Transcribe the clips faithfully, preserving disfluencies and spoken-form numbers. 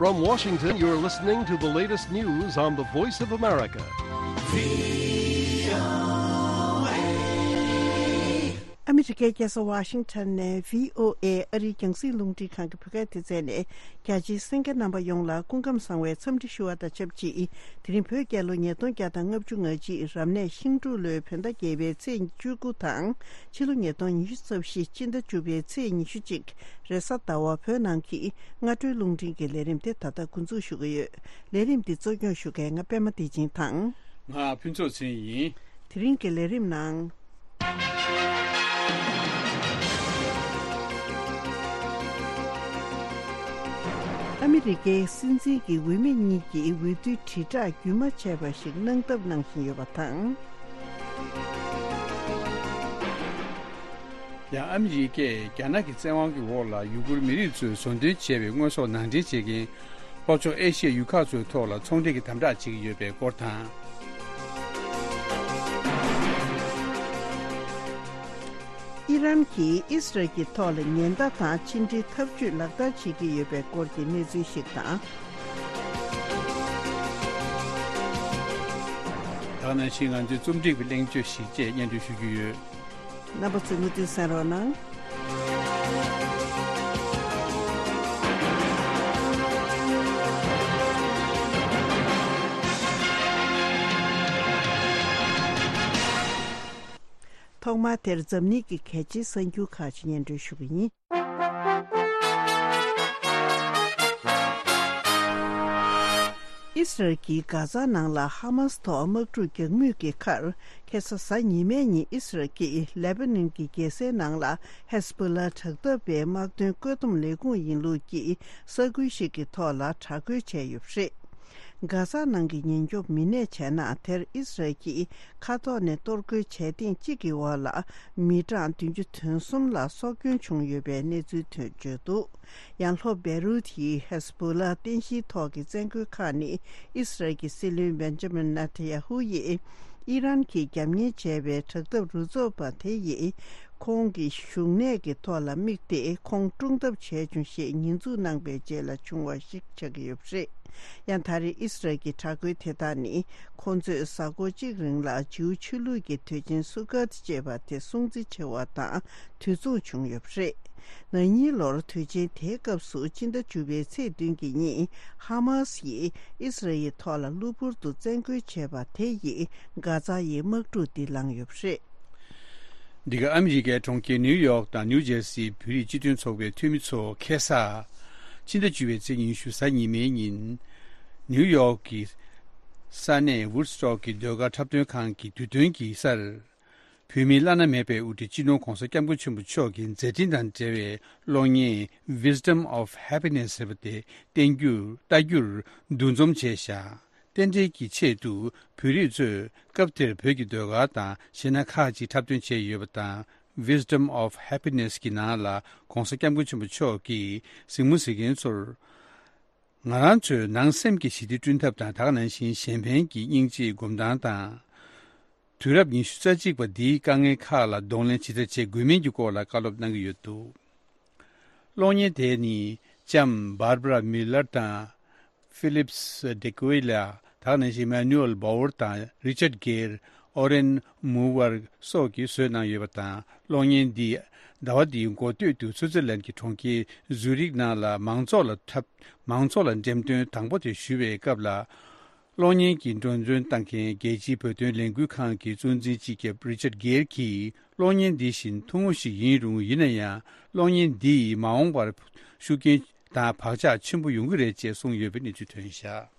From Washington, you're listening to the latest news on the Voice of America. ཨ་མི་རི་ཀའི་རྒྱལ་ས་ཝ་ཤིང་ཊོན་ནས་བྷི་ཨོ་ཨེ་ཨ་རིའི་རྒྱང་སྲིང་རླུང་འཕྲིན་ཁང་གི་བོད་སྐད་སྡེ་ཚན་ནས། རྒྱ་ཆེའི་གསན་མཁན་རྣམ་པ་ཡོངས་ལ་སྐུ་ཁམས་བཟང་བའི་འཚམས་འདྲི་ཞུ་བ་དང་ཆབས་ཅིག་དེ་རིང་བོད་རྒྱལ་ལོ་ཉིས་སྟོང་བརྒྱ་དང་ལྔ་བཅུ་ང་གཅིག་རབ་གནས་ཤིང་འབྲུག་ལོའི་བོད་ཟླ་བརྒྱད་པའི་ཚེས་བཅུ་དགུ་དང་། ཕྱི་ལོ་ཉིས་སྟོང་ཉི་ཤུ་རྩ་བཞི་སྤྱི་ཟླ་བཅུ་པའི་ཚེས་ཉི་ཤུ་གཅིག་རེས་གཟའ་ཟླ་བ་བོད་ནང་གི་སྔ་དྲོའི་རླུང་འཕྲིན་གྱི་ལས་རིམ་དེ་ད་ལྟ་འགོ་འཛུགས་ཞུ་གི་ཡོད། ལས་རིམ་འདི་གཙོ་སྐྱོང་ཞུ་མཁན་ང་པད་མ་བདེ་ཆེན་དང་། ང་ཕུན་ཚོགས་ཚེ་རིང་ཡིན། དེ་རིང་གི་ལས་རིམ་ནང་། ཨ་མི་རི་ཀའི་སྲིད་འཛིན་གྱི་འོས་མི་གཉིས་ཀྱིས་འོས་བསྡུའི་དྲིལ་བསྒྲགས་རྒྱུན་མ་ཆད་པ་ཞིག་གནང་ཐབས་གནང་བཞིན་ཡོད་པ་དང་། ཡང་ཨ་མི་རི་ཀས་རྒྱ་ནག་གི་བཙན་དབང་གི་འོག་ལ་ཡུ་གུར་མི་རིགས་ཚོས་བཟོ་འདོན་བྱས་པའི་དངོས་ཟོག་ནང་འདྲེན་བྱེད་མཁན་ལྷོ་ཕྱོགས་ཨེ་ཤི་ཡའི་ཡུལ་ཁག་ཚོའི་ཐོག་ལ་ཚོང་འབྲེལ་གྱི་དམ་དྲག་བྱེད་ཀྱི་ཡོད་པའི་སྐོར་དང་། ཨི་རན་གྱིས་ཨི་སི་རལ་གྱི་ཐོག་ལ་ཉེན་བརྡ་དང་ཕྱི་འབྲེལ་འཐབ་ཇུས་ལག་བསྟར་བྱེད་ཀྱི་ཡོད་པའི་སྐོར་གྱི་གནས་ཚུལ་ཞིག་དང་། ད་ག་ནང་བཞིན་ང་ཚོའི་རྩོམ་སྒྲིག་པའི་གླེང་བརྗོད་ཞིག་བཅས་སྙན་སྒྲོན་ཞུ་རྒྱུ་ཡོད། རྣམ་པ་ཚོས་མུ་མཐུད་གསན་རོགས་གནང་། ཐོག་མར་དེར་འཛམ་གླིང་གི་གལ་ཆེའི་གསར་འགྱུར་ཁག་ཅིག་སྙན་སྒྲོན་ཞུ་གི་ཡིན། ཨི་སི་རལ་གྱིས་གྷ་ཛ་ནང་ལ་ཧ་མཱ་སི་ཐོག་དམག་འཁྲུག་རྒྱག་མུས་ཀྱི་ཁར། ཁ་སང་གཟའ་ཉི་མའི་ཉིན་ཨི་སི་རལ་གྱིས་ལེ་པ་ནན་གྱི་རྒྱལ་སའི་ནང་ལ་ཧེ་ཟ་བྷོ་ལ་དྲག་འཐབ་པའི་དམག་དོན་བཀོད་འདོམས་ལས་ཁུངས་ཡིན་ལུགས་ཀྱི་ས་ཁུལ་ཞིག་གི་ཐོག་ལ་དྲག་རྒོལ་བྱས་ཡོད་པ་རེད། གྷ་ཛ་ནང་གི་ཉེན་སྐྱོབ་མི་སྣས་བྱས་ན། དེར་ཨི་སི་རལ་གྱིས་མཁའ་ཐོག་ནས་གཏོར་རྒོལ་བྱས་ཐེངས་གཅིག་གི་འོག་ལ་མི་གྲངས་བདུན་ཅུ་དོན་གསུམ་ལ་སྲོག་སྐྱོན་བྱུང་ཡོད་པའི་གནས་ཚུལ་ཐོན་བརྗོད་འདུག་ཡང་ལྷོ་བེ་རུད་ཀྱི་ཧེ་ཟ་བྷོ་ལ་རྟེན་གཞིའི་ཐོག་གི་བཙན་རྒོལ་ཁག་ནི་ཨི་སི་རལ་གྱི་སྲིད་བློན་བེན་ཇ་མིན་ནེ་ཐན་ཡ་ཧུ་ཡིས་ཨི་རན་གྱིས་རྒྱབ་གཉེར་བྱས་པའི་དྲག་འཐབ་རུ་ཚོགས་པ་དེ་ཡིས། ཁོང་གི་བཞུགས་གནས་ཀྱི་ཐོག་ལ་དམིགས་ཏེ་ཁོང་སྲུང་ཐབས་བྱས་བྱུང་ཞེས་ཉེས་འཛུགས་གནང་པའི་རྗེས་ལ་བྱུང་བ་ཞིག་ཆགས་ཀྱི་ཡོད་པ་རེད། ཡང་ད་རེས་ཨི་སི་རལ་གྱི་དྲག་རྒོལ་དེ་དག་ནི་ཁོང་ཚོས་གཟའ་འཁོར་གཅིག་རིང་ལ་ཇིའུ་ཆོས་ལུགས་ཀྱི་དུས་ཆེན་སུ་ཀཱཏ་ཅེས་པ་དེ་སྲུང་བརྩི་བྱེད་པ་དང་དུས་མཚུངས་བྱུང་ཡོད་པ་རེད། ན་ནིང་ལོར་དུས་ཆེན་དེའི་སྐབས་སུ་སྤྱི་ཟླ་བཅུ་པའི་ཚེས་བདུན་གྱི་ཉིན་ཧ་མཱ་སི་ཡིས་ཨི་སི་རལ་ཐོག་ལ་གློ་བུར་དུ་བཙན་རྒོལ་བྱས་པ་དེ་ཡིས་གྷ་ཛ་ཡི་དམག་འཁྲུག་འདི་ལངས་ཡོད་པ་རེད། འདི་ག་ཨ་མི་རི་ཀའི་གྲོང་ཁྱེར་ནིའུ་ཡོག་དང་ནིའུ་ཇེར་སིའི་བོད་རིགས་སྤྱི་མཐུན་ཚོགས་པའི་འཐུས་མི་ཚོ་ཁ་སང་ཕྱི་ཟླ་བཅུ་པའི་ཚེས་ཉི་ཤུ་གཟའ་ཉི་མའི་ཉིན། ནིའུ་ཡོག་གི་ས་གནས་ཝུཌ་སི་ཊོག་གི་ཟློས་གར་འཁྲབ་སྟོན་ཁང་གི་དུས་སྟོན་གྱི་སར། བོད་མིའི་བླ་ན་མེད་པའི་དབུ་ཁྲིད་སྤྱི་ནོར་༧གོང་ས་༧སྐྱབས་མགོན་ཆེན་པོ་མཆོག་གི་མཛད་འཕྲིན་དང་འབྲེལ་བའི་གློག་བརྙན་Wisdom of Happiness ཟེར་བ་དེ་བསྟན་རྒྱུར་ལྟ་རྒྱུར་འདུ་འཛོམས་བྱས་ཤག་རྟེན་འབྲེལ་གྱི་ཆེད་དུ་བོད་རིགས་ཚོས་སྐབས་དེར་བོད་ཀྱི་ཟློས་གར་དང་གཞས་སྣ་ཁག་ཅིག་འཁྲབ་སྟོན་བྱས་ཡོད་པ་དང་། Wisdom of Happiness གྱི་ནང་ལ་༧གོང་ས་༧སྐྱབས་མགོན་ཆེན་པོ་མཆོག་གིས་གཟིགས་མོ་གཟིགས་མཁན་ཚོར། ང་རང་ཚོའི་ནང་སེམས་ཀྱི་ཞི་བདེ་བསྐྲུན་ཐབས་དང་། ད་ག་ནང་བཞིན་གཞན་ཕན་གྱི་སྙིང་རྗེའི་སྒོམ་སྟངས་དང་། དུས་རབས་ཉི་ཤུ་རྩ་གཅིག་པ་འདིའི་དཀའ་ངལ་ཁག་ལ་གདོང་ལེན་ཇི་ལྟར་བྱེད་དགོས་མིན་གྱི་སྐོར་ལ་བཀའ་སློབ་གནང་གི་ཡོད་འདུག་གློག་བརྙན་དེ་ནི་ལྕམ་Barbara Miller དང་Phyllis de Cuellar། ད་ག་ནང་བཞིན་Manuel Bauer དང་Richard Gere། Oren Moore སོགས་ཀྱིས་བཟོས་གནང་ཡོད་པ་དང་། གློག་བརྙན་འདི་ཟླ་བ་འདིའི་འགོ་སྟོད་དུ་སུའུ་ཙེར་ལན་གྱི་གྲོང་ཁྱེར་ཛུ་རིག་ནང་ལ་མང་ཚོགས་ལ་འཁྲབ། མང་ཚོགས་ལ་འགྲེམས་སྟོན་དང་པོ་དེ་ཞུ་བའི་སྐབས་ལ། གློག་བརྙན་གྱི་འགྲེམས་སྟོན་བཏང་མཁན་རྒྱལ་སྤྱིའི་བོད་དོན་ལས་འགུལ་ཁང་གི་གཙོ་འཛིན་སྤྱི་ཁྱབ་Richard Gere གྱིས། གློག་བརྙན་འདི་བཞིན་ཐུང་ངུ་ཞིག་ཡིན་རུང་། ཡིན་ན་ཡང་གློག་བརྙན་འདི་ཡིས་མ་འོངས་པར་ཤུགས་རྐྱེན་དང་བག་ཆགས་ཆེན་པོ་ཡོང་གི་རེད་ཅེས་གསུངས་ཡོད་པའི་གནས་ཚུལ་ཐོན་བཞག་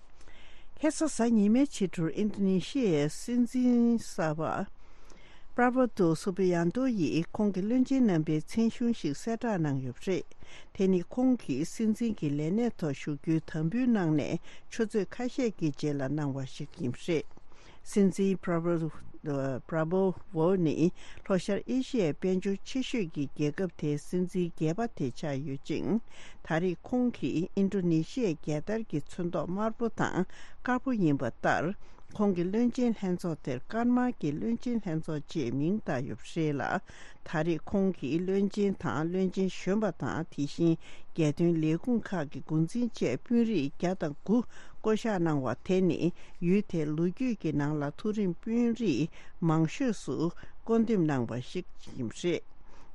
ཁ་སང་གཟའ་ཉི་མའི་ཕྱི་དྲོར་ཨིན་ཌོ་ནེ་ཤི་ཡའི་སྲིད་འཛིན་གསར་པ་པྲ་བོ་ཏོ་སུ་བི་ཡན་ཏོ་ཡིས་ཁོང་གི་བློན་ཆེན་རྣམ་པའི་མཚན་གཞུང་ཞིག་གསལ་བསྒྲགས་གནང་ཡོད་པ་རེད། དེ་ནི་ཁོང་གིས་སྲིད་འཛིན་གྱི་ལས་གནས་ཐོག་བཞུགས་རྒྱུའི་དམ་འབུལ་གནང་ནས་ཆུ་ཚོད་ཁ་ཤས་ཀྱི་རྗེས་ལ་གནང་བ་ཞིག་ཡིན་པ་རེད། སྲིད་འཛིན་པྲ་བོ་པྲ་བོ་ཝོ་ནི་ལྷོ་ཤར་ཨེ་ཤི་ཡའི་དཔལ་འབྱོར་ཆེ་ཤོས་ཀྱི་རྒྱལ་ཁབ་དེའི་སྲིད་འཛིན་བརྒྱད་པ་དེ་ཆགས་ཡོད་ཅིང་། ད་རེས་ཁོང་གིས་ཨིན་ཌོ་ནེ་ཤི་ཡའི་རྒྱལ་དར་གྱི་ཚོན་མདོག་དམར་པོ་དང་དཀར་པོ་ཡིན་པ་ལྟར། ཁོང་གི་བློན་ཆེན་ལྷན་ཚོགས་དེར་ཀར་མར་གྱི་བློན་ཆེན་ལྷན་ཚོགས་ཅེས་མིང་བཏགས་ཡོད་པ་རེད་ལ། ད་རེས་ཁོང་གིས་བློན་ཆེན་དང་བློན་ཆེན་གཞོན་པ་དང་དེ་བཞིན་རྒྱལ་དོན་ལས་ཁུངས་ཁག་གི་འགོ་འཛིན་བཅས་དཔོན་རིགས་བརྒྱ་དང་དགུ་བསྐོ་གཞག་གནང་བ་དེ་ནི་ཡུལ་དེའི་ལོ་རྒྱུས་ཀྱི་ནང་ལ་མཐོ་རིམ་དཔོན་རིགས་མང་ཤོས་སུ་བསྐོ་འདེམས་གནང་བ་ཞིག་ཡིན་པ་རེད།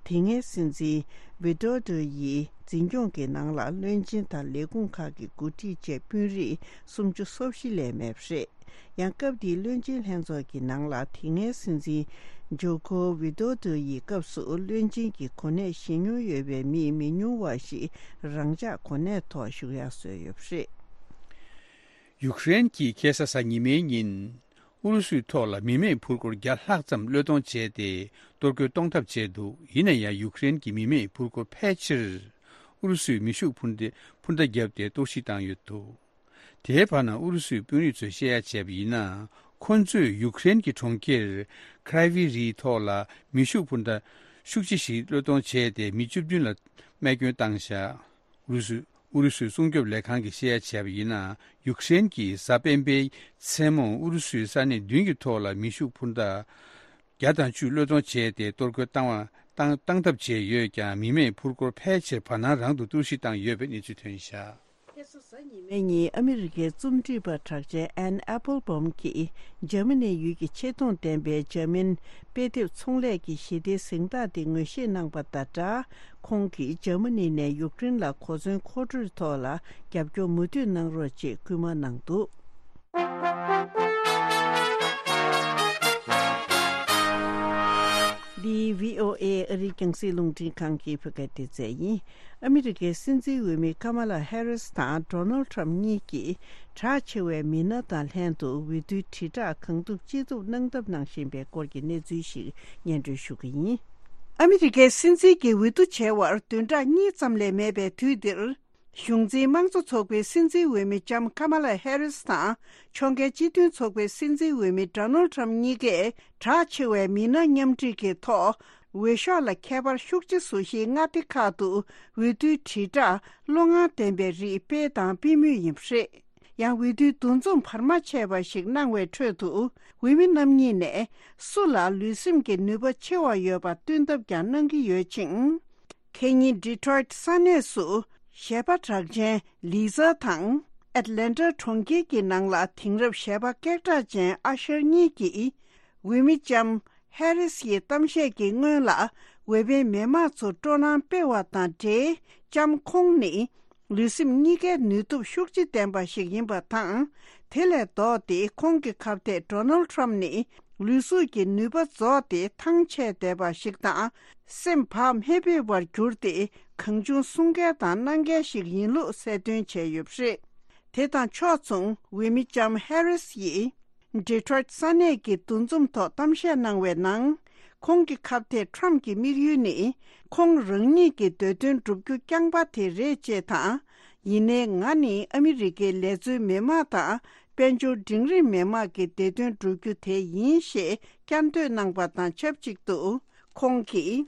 དེ་སྔའི་སྲིད་འཛིན་ཝི་ཏོ་ཏོ་ཡི་འཛིན་སྐྱོང་གི་ནང་ལ་བློན་ཆེན་དང་ལས་ཁུངས་ཁག་གི་འགོ་ཁྲིད་བཅས་དཔོན་རིགས་སུམ་ཅུ་སོ་བཞི་ལས་མེད་པ་རེད། ཡང་སྐབས་དེའི་བློན་ཆེན་ལྷན་ཚོགས་ཀྱི་ནང་ལ་དེ་སྔའི་སྲིད་འཛིན་ཇོ་ཁོ་ཝི་ཏོ་ཏོ་ཡི་སྐབས་སུ་བློན་ཆེན་གྱི་གོ་གནས་བཞེས་མྱོང་ཡོད་པའི་མི་མི་ཉུང་བ་ཞིག་རང་འཇགས་གོ་གནས་ཐོག་བཞུགས་ཡག་བཟོས་ཡོད་པ་རེད། ཡུཀ་རེན་གྱིས་ཁ་སང་གཟའ་ཉི་མའི་ཉིན། ཨུ་རུ་སུའི་ཐོག་ལ་མི་མེད་འཕུར་འཁོར་བརྒྱ་ལྷག་ཙམ་གློད་གཏོང་བྱས་ཏེ། གཏོར་རྒོལ་གཏོང་ཐབས་བྱས་འདུག་ཡིན་ན་ཡང་ཡུཀ་རེན་གྱི་མི་མེད་འཕུར་འཁོར་ཕལ་ཆེར། ཨུ་རུ་སུའི་མེ་ཤུགས་འཕུར་མདའ་འཕུར་མདའ་བརྒྱབ་སྟེ་གཏོར་བཤིག་བཏང་ཡོད་འདུག་དེའི་བར་ན་ཨུ་རུ་སུའི་དཔོན་རིགས་ཚོས་བཤད་ཡ་བྱས་པ་ཡིན་ན། ཁོ་ཚོས་ཡུཀ་རེན་གྱི་གྲོང་ཁྱེར་ཁྲའི་ཝི་རིའི་ཐོག་ལ་མེ་ཤུགས་འཕུར་མདའ་ཤུགས་ཆེ་ཞིག་གློད་གཏོང་བྱས་ཏེ་མི་བཅུ་བདུན་ལ་རྨས་སྐྱོན་བཏང་བཞག་ཨུ་རུ་སུ། ཨུ་རུ་སུའི་སྲུང་སྐྱོབ་ལས་ཁང་གིས་བཤད་ཡ་བྱས་པ་ཡིན་ན། ཡུཀ་རེན་གྱིས་གཟའ་སྤེན་པའི་མཚན་མོ་ཨུ་རུ་སུའི་ས་གནས་བདུན་གྱི་ཐོག་ལ་མེ་ཤུགས་འཕུར་མདའ་བརྒྱ་དང་བཅུ་གློད་གཏོང་བྱས་ཏེ། གཏོར་རྒོལ་བཏང་བ་བཏང་བཏང་ཐབས་བྱས་ཡོད་ཀྱང་། མི་མེད་འཕུར་འཁོར་ཕལ་ཆེར་བར་སྣང་རང་དུ་གཏོར་བཤིག་བཏང་ཡོད་པའི་གནས་ཚུལ་ཐོན་བཞག་ཁ་སང་གཟའ་ཉི་མའི་ཉིན་ཨ་མི་རི་ཀའི་རྩོམ་སྒྲིག་པ་གྲགས་ཅན་ཨན་ཨེ་པལ་བྷོམ་གྱིས་འཇར་མ་ནི་ཡུལ་གྱི་ཆེ་མཐོང་ལྡན་པའི་འཇར་མན་དཔེ་དེབ་ཚོང་ལས་ཀྱི་ཞི་བདེའི་གཟེངས་རྟགས་དེ་ངོས་བཞེས་གནང་པ་དང་སྦྲགས། ཁོང་གིས་འཇར་མ་ནི་ནས་ཡུཀ་རེན་ལ་གོ་མཚོན་མཁོ་སྤྲོད་ཐོག་ལ་རྒྱབ་སྐྱོར་མུ་མཐུད་གནང་རོགས་ཅེས་སྐུལ་མ་གནང་འདུག་འདི་བྷི་ཨོ་ཨེ་ཨ་རིའི་རྒྱང་སྲིང་རླུང་འཕྲིན་ཁང་གི་བོད་སྐད་སྡེ་ཚན་ཡིན། ཨ་མི་རི་ཀའི་སྲིད་འཛིན་འོས་མི་ཀ་མ་ལ་ཧེ་རིས་དང་ཌོ་ནལ་ཊམ་གཉིས་ཀྱིས་གྲགས་ཆེ་བའི་མི་སྣ་དང་ལྷན་དུ་འོས་བསྡུའི་དྲིལ་བསྒྲགས་གང་ཐུབ་ཅི་ཐུབ་གནང་ཐབས་གནང་བཞིན་པའི་སྐོར་གྱི་གནས་ཚུལ་ཞིག་སྙན་སྒྲོན་ཞུ་གི་ཡིན། ཨ་མི་རི་ཀའི་སྲིད་འཛིན་གྱི་འོས་བསྡུ་བྱས་པར་བདུན་ཕྲག་གཉིས་ཙམ་ལས་མེད་པའི་དུས་འདིར། གཞུང་འཛིན་དམངས་གཙོ་ཚོགས་པའི་སྲིད་འཛིན་འོས་མི་ལྕམ་ཀ་མ་ལ་ཧེ་རིས་དང་། ཕྱོགས་འགལ་སྤྱི་མཐུན་ཚོགས་པའི་སྲིད་འཛིན་འོས་མི་ཌོ་ནལ་ཊམ་གཉིས་ཀས་གྲགས་ཆེ་བའི་མི་སྣ་མཉམ་སྒྲིག་གི་ཐོག་འོས་ཤོག་ལ་ཁྱད་པར་ཤུགས་ཆེ་བཟོ་གཞིའི་མངའ་སྡེ་ཁག་ཏུ་འོས་བསྡུའི་དྲིལ་བསྒྲགས་བློ་ངར་ལྡན་པའི་རིགས་སྤེལ་དང་སྤེལ་མུས་ཡིན་པ་རེད། ཡང་འོས་བསྡུའི་འདུ་འཛོམས་བར་མ་ཆད་པ་ཞིག་གནང་བའི་ཁྲོད་དུ། འོས་མི་རྣམ་གཉིས་ནས་སུ་ལ་ལུས་སེམས་ཀྱི་ནུས་པ་ཆེ་བ་ཡོད་པ་སྟོན་ཐབས་ཀྱང་གནང་གི་ཡོད་ཅིང་། ཁེ་ཉིན་ཌི་ཊོ་རོའིཊ་ས་གནས་སུ་གཞས་པ་གྲགས་ཅན་ལི་ཛ་དང་། ཨེཊ་ལན་ཊ་གྲོང་ཁྱེར་གྱི་ནང་ལ་དེང་རབས་གཞས་པ་སྐད་གྲགས་ཅན་ཨ་ཤར་གཉིས་ཀྱིས། འོས་མི་ལྕམ་ཧེ་རིས་ཡི་གཏམ་བཤད་ཀྱི་སྔོན་ལ། འོས་འཕེན་མི་མང་ཚོར་སྤྲོ་སྣང་སྤེལ་བ་དང་འབྲེལ། ལྕམ་ཁོང་ནི། ལུས་སེམས་གཉིས་ཀའི་ནུས་སྟོབས་ཤུགས་ཆེ་ལྡན་པ་ཞིག་ཡིན་པ་དང་། དེ་ལས་ལྡོག་སྟེ་ཁོང་གི་ཁ་གཏད་ཌོ་ནལ་ཊམ་ནི་ལུས་གཟུགས་ཀྱི་ནུས་པ་རྫོགས་ཏེ་ཐང་ཆད་བསྡད་པ་ཞིག་དང་། སེམས་བག་མེད་པའི་བར་གྱུར་ཏེ་གང་བྱུང་གསུང་མཁན་དང་གནང་མཁན་ཞིག་ཡིན་ལུགས་གསལ་སྟོན་བྱས་ཡོད་པ་རེད། དེ་དང་ཕྱོགས་མཚུངས་འོས་མི་ལྕམ་ཧེ་རིས་ཡིས། ཌི་ཊོ་རོའིཊ་ས་གནས་ཀྱི་འདུ་འཛོམས་ཐོག་གཏམ་བཤད་གནང་བའི་ནང་། ཁོང་གི་ཁ་གཏད་ཊམ་གྱི་དམིགས་ཡུལ་ནི། ཁོང་རང་ཉིད་ཀྱི་འདོད་དོན་བསྒྲུབ་རྒྱུ་རྐྱང་པ་དེ་རེད་ཅེས་དང་། ཡིན་ནའི་ང་ནི་ཨ་མི་རི་ཀའི་ལས་བཟོའི་མི་མང་དང་། དཔལ་འབྱོར་འབྲིང་རིམ་མི་མང་གི་བདེ་དོན་བསྒྲུབ་རྒྱུ་དེ་ཡིན་ཞེས་བསྐྱར་ཟློས་གནང་པ་དང་ཆབས་ཅིག་ཏུ། ཁོང་གིས།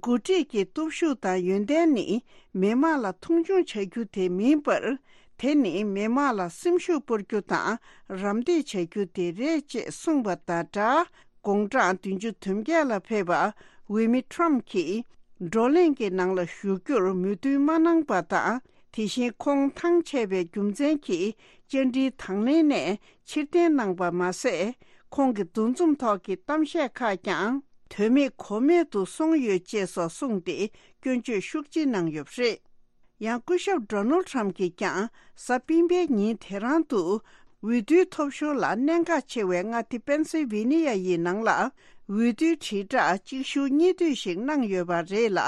འགོ་ཁྲིད་ཀྱི་སྟོབས་ཤུགས་དང་ཡོན་ཏན་ནི་མི་དམངས་ལ་མཐོང་ཆུང་བྱ་རྒྱུ་དེ་མིན་པར། དེ་ནི་མི་དམངས་ལ་སེམས་ཤུགས་སྤར་རྒྱུ་དང་རམ་འདེགས་བྱ་རྒྱུ་དེ་རེད་ཅེས་གསུངས་པ་དང་སྦྲགས། དགུང་གྲངས་བདུན་ཅུ་དོན་བརྒྱད་ལ་ཕེབས་པ་འོས་མི་ཊམ་གྱིས་བགྲོ་གླེང་གི་ནང་ལ་ཞུགས་རྒྱུར་མོས་མཐུན་མ་གནང་པ་དང་། དེ་བཞིན་ཁོང་ཐང་ཆད་པའི་རྒྱུ་མཚན་གྱིས་བཅར་འདྲིའི་དང་ལེན་ནས་ཕྱིར་འཐེན་གནང་པ་མ་ཟད། ཁོང་གི་འདུ་འཛོམས་ཐོག་གི་གཏམ་བཤད་ཁག་ཀྱང་། དོན་མེད་གོ་མེད་དུ་སོང་ཡོད་ཅེས་སོགས་གསུངས་ཏེ་སྐྱོན་བརྗོད་ཤུགས་ཆེ་གནང་ཡོད་པ་རེད། ཡང་སྐུ་ཞབས་ཌོ་ནལ་ཊམ་གྱིས་ཀྱང་གཟའ་སྤེན་པའི་ཉིན་དེ་རང་དུ་འོས་བསྡུའི་ཐོབ་ཤོར་ལ་གནད་འགག་ཆེ་བའི་མངའ་སྡེ་པེན་སིལ་ཝེ་ནི་ཡ་ཡི་ནང་ལ་འོས་བསྡུའི་དྲིལ་བསྒྲགས་གཅིག་ཤུགས་གཉིས་མཐུད་ཞིག་གནང་ཡོད་པ་རེད་ལ།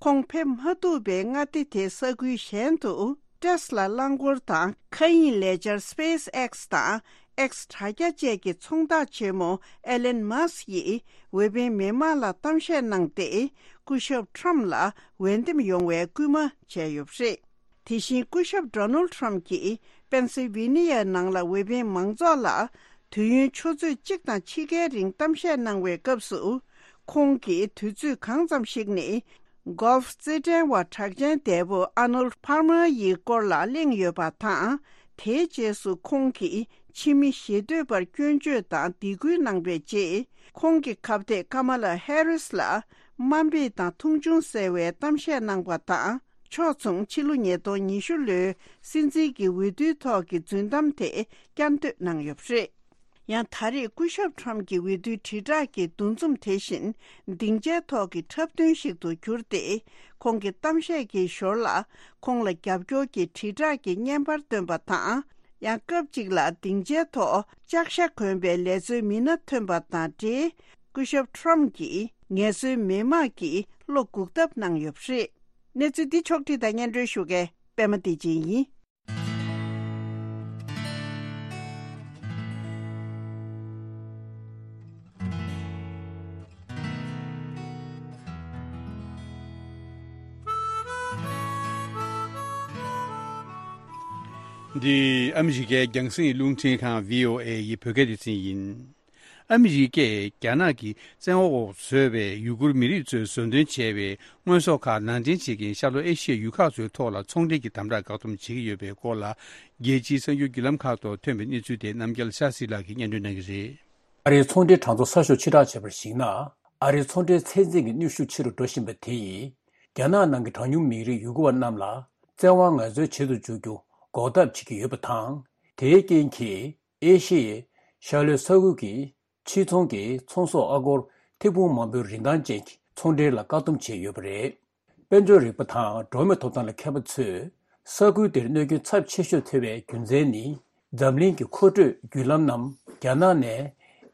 ཁོང་ཕེབས་མ་ཐུབ་པའི་མངའ་སྡེ་དེའི་ས་ཁུལ་གཞན་དུ། ཏེས་ལ་རླངས་འཁོར་དང་མཁའ་དབྱིངས་ལས་འཆར་སི་པེ་སི་ཨེག་སི་དང་ཨེག་སི་དྲ་རྒྱ་བཅས་ཀྱི་ཚོང་བདག་ཆེན་མོ་ཨེ་ལན་མཱ་སི་ཡིས་འོས་འཕེན་མི་མང་ལ་གཏམ་བཤད་གནང་སྟེ། སྐུ་ཞབས་ཁྲམ་ལ་འོས་འདེམས་ཡོང་བའི་སྐུལ་མ་བྱས་ཡོད་པ་རེད། དེ་བཞིན་སྐུ་ཞབས་ཌོ་ནལ་ཁྲམ་གྱིས་པེན་སིལ་ཝེ་ནི་ཡའི་ནང་ལ་འོས་འཕེན་མང་ཚོགས་ལ་དུས་ཡུན་ཆུ་ཚོད་གཅིག་དང་ཕྱེད་ཀའི་རིང་གཏམ་བཤད་གནང་བའི་སྐབས་སུ། ཁོང་གིས་དུས་ཚོད་གང་ཙམ་ཞིག་ནི། གོལ་ཧྥི་རྩེད་འགྲན་བ་གྲགས་ཅན་འདས་པོ་ཨ་ནོལ་ཕར་མར་ཡི་སྐོར་ལ་གླེང་ཡོད་པ་དང་། དེའི་རྗེས་སུ་ཁོང་གིས་ཕྱི་མི་ཞེ་འདོད་པར་སྐྱོན་བརྗོད་དང་སྡིགས་སྐུལ་གནང་བའི་རྗེས། ཁོང་གི་ཁ་གཏད་ཀ་མ་ལ་ཧེ་རིས་ལ་དམའ་འབེབས་དང་མཐོང་ཆུང་སེལ་བའི་གཏམ་བཤད་གནང་བ་དང་། ཕྱོགས་མཚུངས་ཕྱི་ལོ་ཉིས་སྟོང་ཉི་ཤུ་ལོའི་སྲིད་འཛིན་གྱི་འོས་བསྡུའི་ཐོག་གི་རྫུན་གཏམ་དེ་བསྐྱར་ཟློས་གནང་ཡོད་པ་རེད། ཡང་ད་རེས་སྐུ་ཞབས་ཁྲོམ་གྱི་འོས་བསྡུའི་དྲིལ་བསྒྲགས་ཀྱི་འདུ་འཛོམས་དེ་བཞིན་སྡིངས་ཆའི་ཐོག་གི་འཁྲབ་སྟོན་ཞིག་ཏུ་གྱུར་ཏེ། ཁོང་གི་གཏམ་བཤད་ཀྱི་ཞོར་ལ་ཁོང་ལ་རྒྱབ་སྐྱོར་གྱི་དྲིལ་བསྒྲགས་ཀྱི་བརྙན་པར་བཏོན་པ་དང་། ཡང་སྐབས་གཅིག་ལ་སྡིངས་ཆའི་ཐོག་ལྕགས་ཤ་གོན་པའི་ལས་བཟོའི་མི་སྣ་ཐོན་པ་དང་འབྲེལ། སྐུ་ཞབས་ཁྲོམ་གྱིས་ངལ་རྩོལ་མི་དམངས་ཀྱི་བློ་འགུག་ཐབས་གནང་ཡོད་པ་རེད། གནས་ཚུལ་འདི་ཕྱོགས་བསྒྲིགས་དང་སྙན་སྒྲོན་ཞུ་མཁན་པད་མ་བདེ་ཆེན་ཡིན། འདི་ཨ་མི་རི་ཀའི་རྒྱང་སྲིང་རླུང་འཕྲིན་ཁང་བྷི་ཨོ་ཨེ་ཡི་བོད་སྐད་སྡེ་ཚན་ཡིན། ཨ་མི་རི་ཀས་རྒྱ་ནག་གི་བཙན་འོག་འོག་བཟོས་པའི་ཡུ་གུར་མི་རིགས་ཚོས་བཟོ་འདོན་བྱས་པའི་དངོས་ཟོག་ཁག་ནང་འདྲེན་བྱེད་མཁན་ཤར་ལྷོ་ཨེ་ཤི་ཡའི་ཡུལ་ཁག་ཚོའི་ཐོག་ལ་ཚོང་འབྲེལ་གྱི་དམ་དྲག་བཀག་སྡོམ་བྱེད་ཀྱི་ཡོད་པའི་སྐོར་ལ། རྒྱལ་སྤྱིའི་གསར་འགྱུར་བརྒྱུད་ལམ་ཁག་ཐོག་ཐོན་པའི་གནས་ཚུལ་དེ་རྣམ་རྒྱལ་ཤཱ་སི་ལགས་ཀྱིས་སྙན་སྒྲོན་གནང་གི་རེད། ཨ་རིའི་ཚོང་འབྲེལ་གྲངས་ཐོ་གསར་ཤོག་ཕྱིར་བསྒྲགས་བྱས་པར་གཞིགས་ན། ཨ་རིའི་ཚོང་འབྲེལ་ཚད་འཛིན་གྱི་གནོན་ཤུགས་ཆེ་རུ་འགྲོ་བཞིན་པ་དེ་ཡིས། རྒྱ་ནག་ནང་གི་གྲངས་ཉུང་མི་རིགས་ཡུ་གུར་བ་རྣམས་ལ་བཙན་དབང་ངལ་རྩོལ་བྱེད་དུ་འཇུག་རྒྱུ་འགོག་ཐབས་བྱེད་ཀྱི་ཡོད་པ་དང་། དེའི་རྐྱེན་གྱིས་ཨེ་ཤི་ཡའི་ཤར་ལྷོའི་ས་ཁུལ་གྱི་ཕྱིར་ཚོང་གི་ཚོང་ཟོག་ཨ་སྒོར་ཐེར་འབུམ་མང་པོའི་རིན་ཐང་ཅན་གྱི་ཚོང་འབྲེལ་ལ་བཀག་སྡོམ་བྱས་ཡོད་པ་རེད། དཔལ་འབྱོར་རིག་པ་དང་འགྲོ་བ་མིའི་ཐོབ་ཐང་ལ་མཁས་པ་ཚོས། ས་ཁུལ་དེར་གནོད་སྐྱོན་ཚབས་ཆེ་ཤོས་ཐེབས་པའི་རྒྱུ་མཚན་ནི། འཛམ་གླིང་གི་མཁོ་སྤྲོད་བརྒྱུད་ལམ་རྣམས་རྒྱ་ནག་ནས་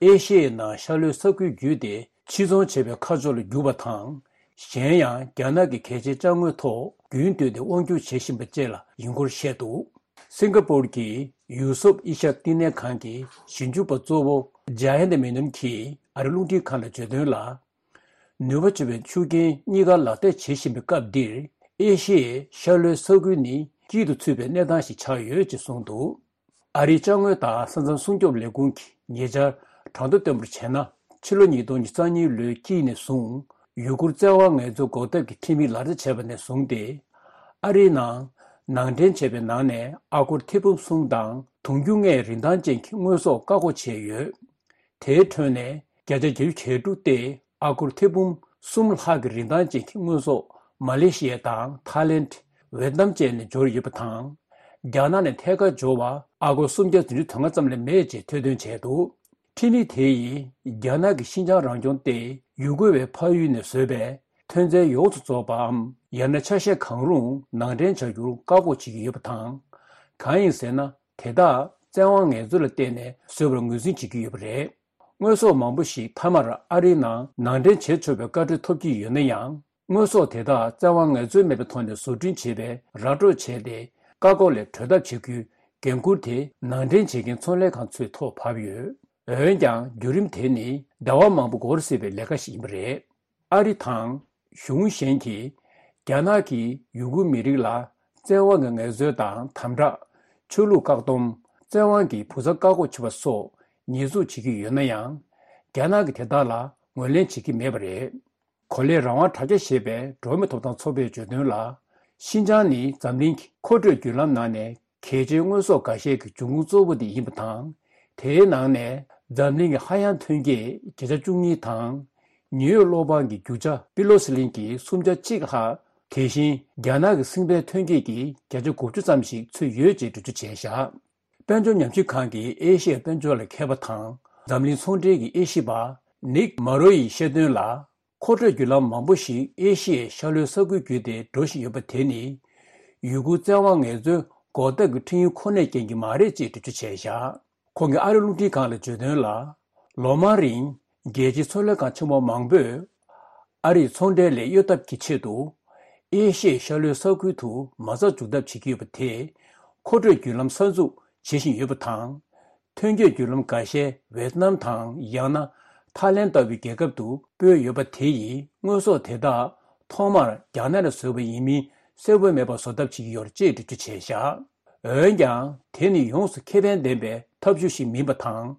ཨེ་ཤི་ཡའི་ནང་ཤར་ལྷོའི་ས་ཁུལ་བརྒྱུད་དེ་ཕྱིར་ཚོང་བྱེད་པའི་ཁ་ཕྱོགས་ལ་བསྒྱུར་བ་དང་། གཞན་ཡང་རྒྱ་ནག་གི་གལ་ཆེའི་ཅ་དངོས་ཐོག་རྒྱུན་མཐུད་དེ་དབང་སྒྱུར་བྱེད་བཞིན་པ་བཅས་ལ་ཡིན་སྐོར་བཤད་འདུག། སིང་ག་པོར་གྱི་ཡུ་སུབ་ཨི་ཤ་བསྟི་གནས་ཁང་གི་ཞིབ་འཇུག་པ་གཙོ་བོ་ཇ་ཡན་ཏ་མེ་ནོན་གྱིས་ཨ་རིའི་རླུང་འཕྲིན་ཁང་ལ་བརྗོད་དོན་ལ། ནུས་པ་ཆེ་བའི་ཤུགས་རྐྱེན་གཉིས་ཀ་ལག་བསྟར་བྱེད་བཞིན་པའི་སྐབས་འདིར། ཨེ་ཤི་ཡའི་ཤར་ལྷོའི་ས་ཁུལ་ནི་དཀྱིལ་དུ་ཚུད་པའི་གནས་སྟངས་ཤིག་ཆགས་ཡོད་ཅེས་གསུངས་འདུག། ཨ་རིའི་ཅ་དངོས་དང་ས་མཚམས་སྲུང་སྐྱོབ་ལས་ཁུངས་ཀྱིས་ཉེ་ཆར་གྲངས་ཐོ་བཏོན་པར་བྱས་ན། ཕྱི་ལོ་ཉིས་སྟོང་ཉི་ཤུ་རྩ་གཉིས་ལོའི་དཀྱིལ་ནས་བཟུང་། ཡུ་གུར་བཙན་དབང་ངལ་རྩོལ་འགོག་ཐབས་ཀྱི་ཁྲིམས་ཡིག་ལག་བསྟར་བྱས་པ་ནས་བཟུང་སྟེ། ཨ་རིའི་ནང་ནང་འདྲེན་བྱས་པའི་ནང་ནས་ཨ་སྒོར་ཐེར་འབུམ་གསུམ་དང་དུང་ཕྱུར་ལྔའི་རིན་ཐང་ཅན་གྱི་དངོས་ཟོག་བཀག་འགོག་བྱས་ཡོད། དེའི་ཁྲོད་ནས་བརྒྱ་ཆ་བརྒྱད་ཅུ་གྱ་དྲུག་སྟེ་ཨ་སྒོར་ཐེར་འབུམ་གསུམ་ལྷག་གི་རིན་ཐང་ཅན་གྱི་དངོས་ཟོག་མ་ལེ་ཤི་ཡ་དང་ཐའི་ལེནྜ། ཝེ་ཏི་ནམ་བཅས་ནས་འབྱོར་ཡོད་པ་དང་། རྒྱ་ནག་ནས་ཐད་ཀར་འབྱོར་བ་ཨ་སྒོར་སུམ་བརྒྱ་བདུན་ཅུ་དོན་ལྔ་ཙམ་ལས་མེད་ཅེས་ཐེར་འདོན་བྱས་འདུག། ཁྲིམས་ཡིག་དེ་ཡིས་རྒྱ་ནག་གི་ཤིན་ཅང་རང་སྐྱོང་ལྟེ་ཡུ་གུར་བའི་ཕ་ཡུལ་ནས་བཟོས་པའི་ཐོན་རྫས་ཡོངས་སུ་རྫོགས་པའམ། ཡང་ན་ཆ་ཤས་གང་རུང་ནང་འདྲེན་བྱ་རྒྱུར་བཀག་འགོག་བྱེད་ཀྱི་ཡོད་པ་དང་། གང་ཡིན་ཟེར་ན། དེ་དག་བཙན་དབང་ངལ་རྩོལ་ལ་བརྟེན་ནས་བཟོས་པར་ངོས་འཛིན་བྱེད་ཀྱི་ཡོད་པ་རེད། དངོས་ཟོག་མང་པོ་ཞིག་མཐའ་མར་ཨ་རིའི་ནང་ནང་འདྲེན་བྱེད་ཆོག་པའི་བཀའ་འཁྲོལ་ཐོབ་ཀྱི་ཡོད་ན་ཡང་། དངོས་ཟོག་དེ་དག་བཙན་དབང་ངལ་རྩོལ་མེད་པའི་ཐོག་ནས་བཟོ་སྐྲུན་བྱེད་པའི་ར་སྤྲོད་བྱས་ཏེ། བཀག་འགོག་ལས་གྲོལ་ཐབས་བྱེད་རྒྱུའི་འགན་འཁུར་དེ་ནང་འདྲེན་བྱེད་མཁན་ཚོང་ལས་ཁང་ཚོའི་ཐོག་བབས་ཡོད། འོན་ཀྱང་བརྒྱུད་རིམ་དེ་ནི་ཟླ་བ་མང་པོ་འགོར་སྲིད་པའི་ལས་ཀ་ཞིག་ཡིན་པ་རེད། ཨ་རི་དང་གཞུང་གཞན་གྱིས་རྒྱ་ནག་གིས་ཡུ་གུར་མི་རིགས་ལ་བཙན་དབང་གི་ངལ་རྩོལ་དང་དམ་དྲག་ཆོས་ལུགས་བཀག་སྡོམ། བཙན་དབང་གིས་བུ་གསར་བཀག་འགོག་བྱེད་པ་སོགས་ཉེས་འཛུགས་བྱེད་ཀྱི་ཡོད་ན་ཡང་། རྒྱ་ནག་གིས་དེ་དག་ལ་ངོས་ལེན་བྱེད་ཀྱི་མེད་པ་རེད། གོ་ལའི་རང་དབང་དྲ་རྒྱ་ཞེས་པའི་འགྲོ་བ་མིའི་ཐོབ་ཐང་ཚོགས་པས་བརྗོད་དོན་ལ། ཤིན་ཅང་ནི་འཛམ་གླིང་གི་མཁོ་སྤྲོད་བརྒྱུད་ལམ་ནང་ནས་གལ་ཆེའི་དངོས་ཟོག་འགའ་ཤས་ཀྱི་འབྱུང་ཁུངས་གཙོ་བོ་དེ་ཡིན་པ་དང་། དེའི་ནང་ནས་འཛམ་གླིང་གི་ཧ་ཡང་ཐོན་སྐྱེད་བརྒྱ་ཆ་བཅུ་གཉིས་དང་། ཉེ་འོད་གློག་འབར་གྱི་རྒྱུ་ཆ་པི་ལོ་སི་ལིན་གྱི་སུམ་ཆ་གཅིག་ལྷག་དེ་བཞིན་རྒྱ་ནག་གི་སྲིན་བལ་ཐོན་སྐྱེད་ཀྱི་བརྒྱ་ཆ་དགུ་བཅུ་ཙམ་ཞིག་ཚུད་ཡོད་ཅེས་འགྲེལ་བརྗོད་བྱས་བཞག། དཔལ་འབྱོར་ཉམས་ཞིབ་ཁང་གི་ཨེ་ཤི་ཡའི་དཔལ་འབྱོར་ལ་མཁས་པ་དང་འཛམ་གླིང་ཚོང་འབྲེལ་གྱི་དབྱེ་ཞིབ་པ་ནིག་མ་རོ་ཡིས་བཤད་དོན་ལ། མཁོ་སྤྲོད་བརྒྱུད་ལམ་མང་པོ་ཞིག་ཨེ་ཤི་ཡའི་ཤར་ལྷོའི་ས་ཁུལ་བརྒྱུད་དེ་འགྲོ་བཞིན་ཡོད་པ་དེ་ནི། ཡུ་གུར་བཙན་དབང་ངལ་རྩོལ་འགོག་ཐབས་ཀྱི་ཁྲིམས་ཡིག་ཁོ་ནའི་རྐྱེན་གྱིས་མ་རེད་ཅེས་འགྲེལ་བརྗོད་བྱས་བཞག། ཁོང་གིས་ཨ་རི་རླུང་འཕྲིན་ཁང་ལ་བརྗོད་དོན་ལ། ལོ་མང་རིང་རྒྱལ་སྤྱིའི་ཚོང་ལས་ཁང་ཆེན་པོ་མང་པོས། ཨ་རིས་ཚོང་འབྲེལ་ལས་གཡོལ་ཐབས་ཀྱི་ཆེད་དུ། ཨེ་ཤི་ཡའི་ཤར་ལྷོའི་ས་ཁུལ་དུ་མ་རྩ་འཛུགས་ཐབས་བྱེད་ཀྱི་ཡོད་པ་དེས། མཁོ་སྤྲོད་བརྒྱུད་ལམ་གསར་འཛུགས་བྱེད་བཞིན་ཡོད་པ་དང་། ཐོན་སྐྱེད་བརྒྱུད་ལམ་འགའ་ཤས་ཝེ་ཏི་ནམ་དང་ཡང་ན་ཐའི་ལེན་ལྟ་བུའི་རྒྱལ་ཁབ་ཏུ་སྤོས་ཡོད་པ་དེ་ཡིས་དངོས་ཟོག་དེ་དག་ཐོག་མར་རྒྱ་ནག་ནས་བཟོས་པ་ཡིན་མིན་གསལ་པོ་མེད་པར་བཟོ་ཐབས་བྱེད་ཀྱི་ཡོད་རེད་ཅེས་འགྲེལ་བརྗོད་བྱས་བཞག། འོན་ཀྱང་དེ་ནི་ཡོངས་སུ་ཁེ་ཕན་ལྡན་པའི་ཐབས་ཇུས་ཤིག་མིན་པ་དང་།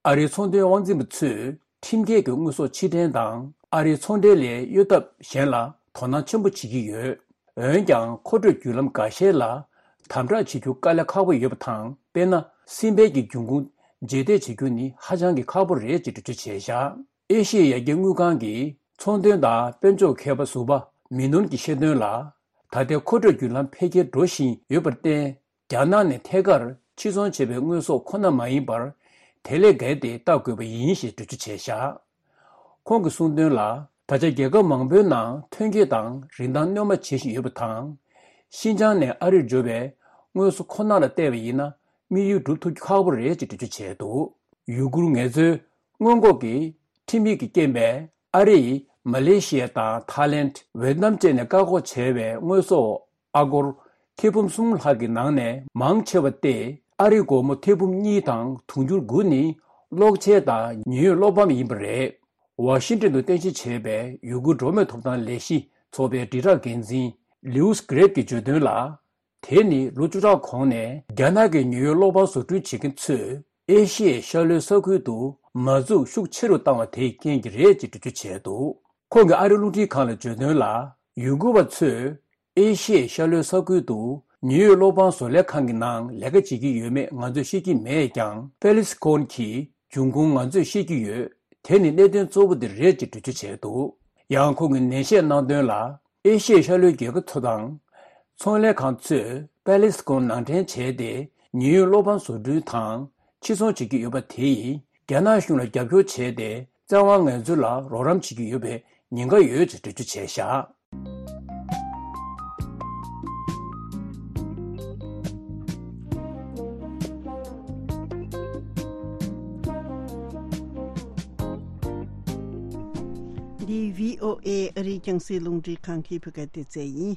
ཨ་རིའི་ཚོང་དོན་དབང་འཛིན་པ་ཚོས་ཁྲིམས་འགལ་གྱི་དངོས་ཟོག་ཕྱིར་འདྲེན་དང་ཨ་རིའི་ཚོང་འབྲེལ་ལས་གཡོལ་ཐབས་གཞན་ལ་དོ་སྣང་ཆེན་པོ་བྱེད་ཀྱི་ཡོད། འོན་ཀྱང་མཁོ་སྤྲོད་བརྒྱུད་ལམ་འགའ་ཤས་ལ་ དམ་དྲག་བྱེད་རྒྱུ་དཀའ་ལས་ཁག་པོ་ཡོད་པ་དང་། དཔེར་ན། སྲིད་དཔལ་གྱི་འབྱུང་ཁུངས་རྗེས་འདེད་བྱེད་རྒྱུ་ནི་ཧ་ཅང་གི་ཁག་པོ་རེད་ཅེས་འགྲེལ་བརྗོད་བྱས་བཞག་ཨེ་ཤི་ཡའི་ཡར་རྒྱས་དངུལ་ཁང་གིས་ཚོང་དོན་དང་དཔལ་འབྱོར་མཁས་པ་ཟུར་པ་མི་ནོན་གྱིས་བཤད་དོན་ལ། ད་ལྟའི་མཁོ་སྤྲོད་བརྒྱུད་ལམ་འཕེལ་རྒྱས་འགྲོ་བཞིན་ཡོད་པར་བརྟེན། རྒྱ་ནག་ནས་ཐད་ཀར་ཕྱིར་ཚོང་བྱས་པའི་དངོས་ཟོག་ཁོ་ན་མ་ཡིན་པར། དེ་ལས་བརྒལ་ཏེ་བལྟ་དགོས་པ་ཡིན་ཞེས་འགྲེལ་བརྗོད་བྱས་བཞག་ཁོང་གིས་གསུངས་དོན་ལ། ད་ཆ་རྒྱལ་ཁབ་མང་པོའི་ནང་ཐོན་སྐྱེད་དང་རིན་ཐང་སྣོན་མ་བྱེད་བཞིན་ཡོད་པ་དང་། ཤིན་ཅང་ནས་ཨ་རིར་འབྱོར་བའི་དངོས་ཟོག་ཁོ་ན་ལ་བལྟས་པ་ཡིན་ན། དམིགས་ཡུལ་འགྲུབ་ཐུབ་རྒྱུ་ཁག་པོ་རེད་ཅེས་འགྲེལ་བརྗོད་བྱས་འདུག་ཡུ་གུར་ངལ་རྩོལ་སྔོན་འགོག་གི་ཁྲིམས་ཡིག་གི་རྐྱེན་པས། ཨ་རི་ཡིས་མ་ལེ་ཤི་ཡ་དང་ཐའི་ལེན། ཝེ་ཏི་ནམ་བཅས་ནས་བཀག་འགོག་བྱས་པའི་དངོས་ཟོག་ཨ་སྒོར་ཐེར་འབུམ་གསུམ་ལྷག་གི་ནང་ནས་མང་ཆེ་བ་སྟེ། ཨ་རིའི་སྒོར་མོ་ཐེར་འབུམ་གཉིས་དང་དུང་ཕྱུར་དགུ་ནི་གློག་ཆས་དང་ཉེན་གཡོལ་གློག་པམ་ཡིན་པ་རེད། ཝ་ཤིང་ཏོན་དུ་རྟེན་གཞི་བྱས་པའི་ཡུ་གུར་འགྲོ་མིའི་ཐོབ་ཐང་ལས་གཞི་ཚོགས་པའི་དྲིལ་བསྒྲགས་འགན་འཛིན་ལིའུ་སི་གྷི་རེབ་ཀྱིས་བརྗོད་དོན་ལ། དེ་ནི་ལོ་བཅུ་ཕྲག་གོང་ནས་རྒྱ་ནག་གི་ཉེན་གཡོལ་གློག་པམ་བཟོ་སྐྲུན་བྱེད་མཁན་ཚོས་ཨེ་ཤི་ཡའི་ཤར་ལྷོའི་ས་ཁུལ་དུ་མ་འཛུགས་ཤུགས་ཆེ་རུ་བཏང་བ་དེའི་རྐྱེན་གྱིས་རེད་ཅེས་འགྲེལ་བརྗོད་བྱས་འདུག་ཁོང་གིས་ཨ་རིའི་རླུང་འཕྲིན་ཁང་ལ་བརྗོད་དོན་ལ། ཡུ་གུར་བ་ཚོས་ཨེ་ཤི་ཡའི་ཤར་ལྷོའི་ས་ཁུལ་དུ་ཉེན་གཡོལ་གློག་པམ་བཟོ་ལས་ཁང་གི་ནང་ལས་ཀ་བྱེད་ཀྱི་ཡོད་མེད་ང་ཚོས་ཤེས་ཀྱི་མེད་ཀྱང་། པེ་ལི་སི་ཀོན་གྱི་འབྱུང་ཁུངས་ང་ཚོས་ཤེས་ཀྱི་ཡོད། དེ་ནི་གནད་དོན་གཙོ་བོ་དེ་རེད་ཅེས་འགྲེལ་བརྗོད་བྱས་འདུག་ཡང་ཁོང་གིས་ནན་བཤད་གནང་དོན་ལ། ཨེ་ཤི་ཡའི་ཤར་ལྷོའི་རྒྱལ་ཁབ་ཚོ་དང་། ཚོང་ལས་ཁང་ཚོས་པེ་ལི་སི་ཀོན་ནང་འདྲེན་བྱས་ཏེ། ཉེན་གཡོལ་གློག་པམ་བཟོ་སྐྲུན་དང་ཕྱིར་ཚོང་བྱེད་ཀྱི་ཡོད་པ་དེ་ཡིས། རྒྱ་ནག་གཞུང་ལ་རྒྱབ་སྐྱོར་བྱས་ཏེ། བཙན་དབང་ངན་སྤྱོད་ལ་རོགས་རམ་བྱེད་ཀྱི་ཡོད་པའི་ཉེན་ཁ་ཡོད་ཅེས་འགྲེལ་བརྗོད་བྱས་བཞག་འདི་བྷི་ཨོ་ཨེ་ཨ་རིའི་རྒྱང་སྲིང་རླུང་འཕྲིན་ཁང་གི་བོད་སྐད་སྡེ་ཚན་ཡིན།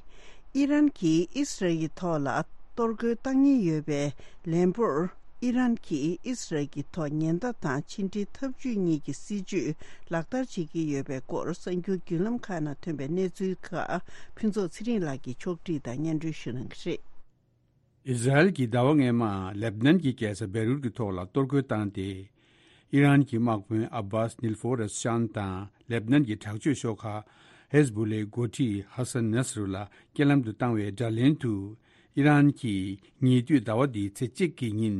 ཨི་རན་གྱིས་ཨི་སི་རལ་གྱི་ཐོག་ལ་གཏོར་རྒོལ་བཏང་ཉེན་ཡོད་པའི་ལན་པོར། ཨི་རན་གྱིས་ཨི་སི་རལ་གྱི་ཐོག་ཉེན་བརྡ་དང་ཕྱི་འབྲེལ་འཐབ་ཇུས་གཉིས་ཀྱི་སྲིད་ཇུས་ལག་བསྟར་བྱེད་ཀྱི་ཡོད་པའི་སྐོར་གསར་འགྱུར་བརྒྱུད་ལམ་ཁག་ནང་ཐོན་པའི་གནས་ཚུལ་ཁག་ཕུན་ཚོགས་ཚེ་རིང་ལགས་ཀྱིས་ཕྱོགས་སྒྲིག་དང་སྙན་སྒྲོན་ཞུ་གནང་གི་རེད། ཨི་ཟ་རེལ་གྱིས་ཟླ་བ་སྔོན་མ་ལེབ་ནན་གྱི་རྒྱལ་ས་བེ་རུད་ཀྱི་ཐོག་ལ་གཏོར་རྒོལ་བཏང་སྟེ། ཨི་རན་གྱི་དམག་དཔོན་ཨ་བྷཱས་ནིལ་ཧྥོ་རེས་ཤཱན་དང་ལེབ་ནན་གྱི་དྲག་སྤྱོད་ཤོག་ཁག་ཧེ་ཟ་བུ་ལའི་འགོ་ཁྲིད་ཧ་སན་ནས་རུ་ལ་རྐྱེན་ལམ་དུ་བཏང་བའི་དགྲ་ལན་དུ། ཨི་རན་གྱིས་ཉེ་དུས་ཟླ་བ་འདིའི་ཚེས་གཅིག་གི་ཉིན་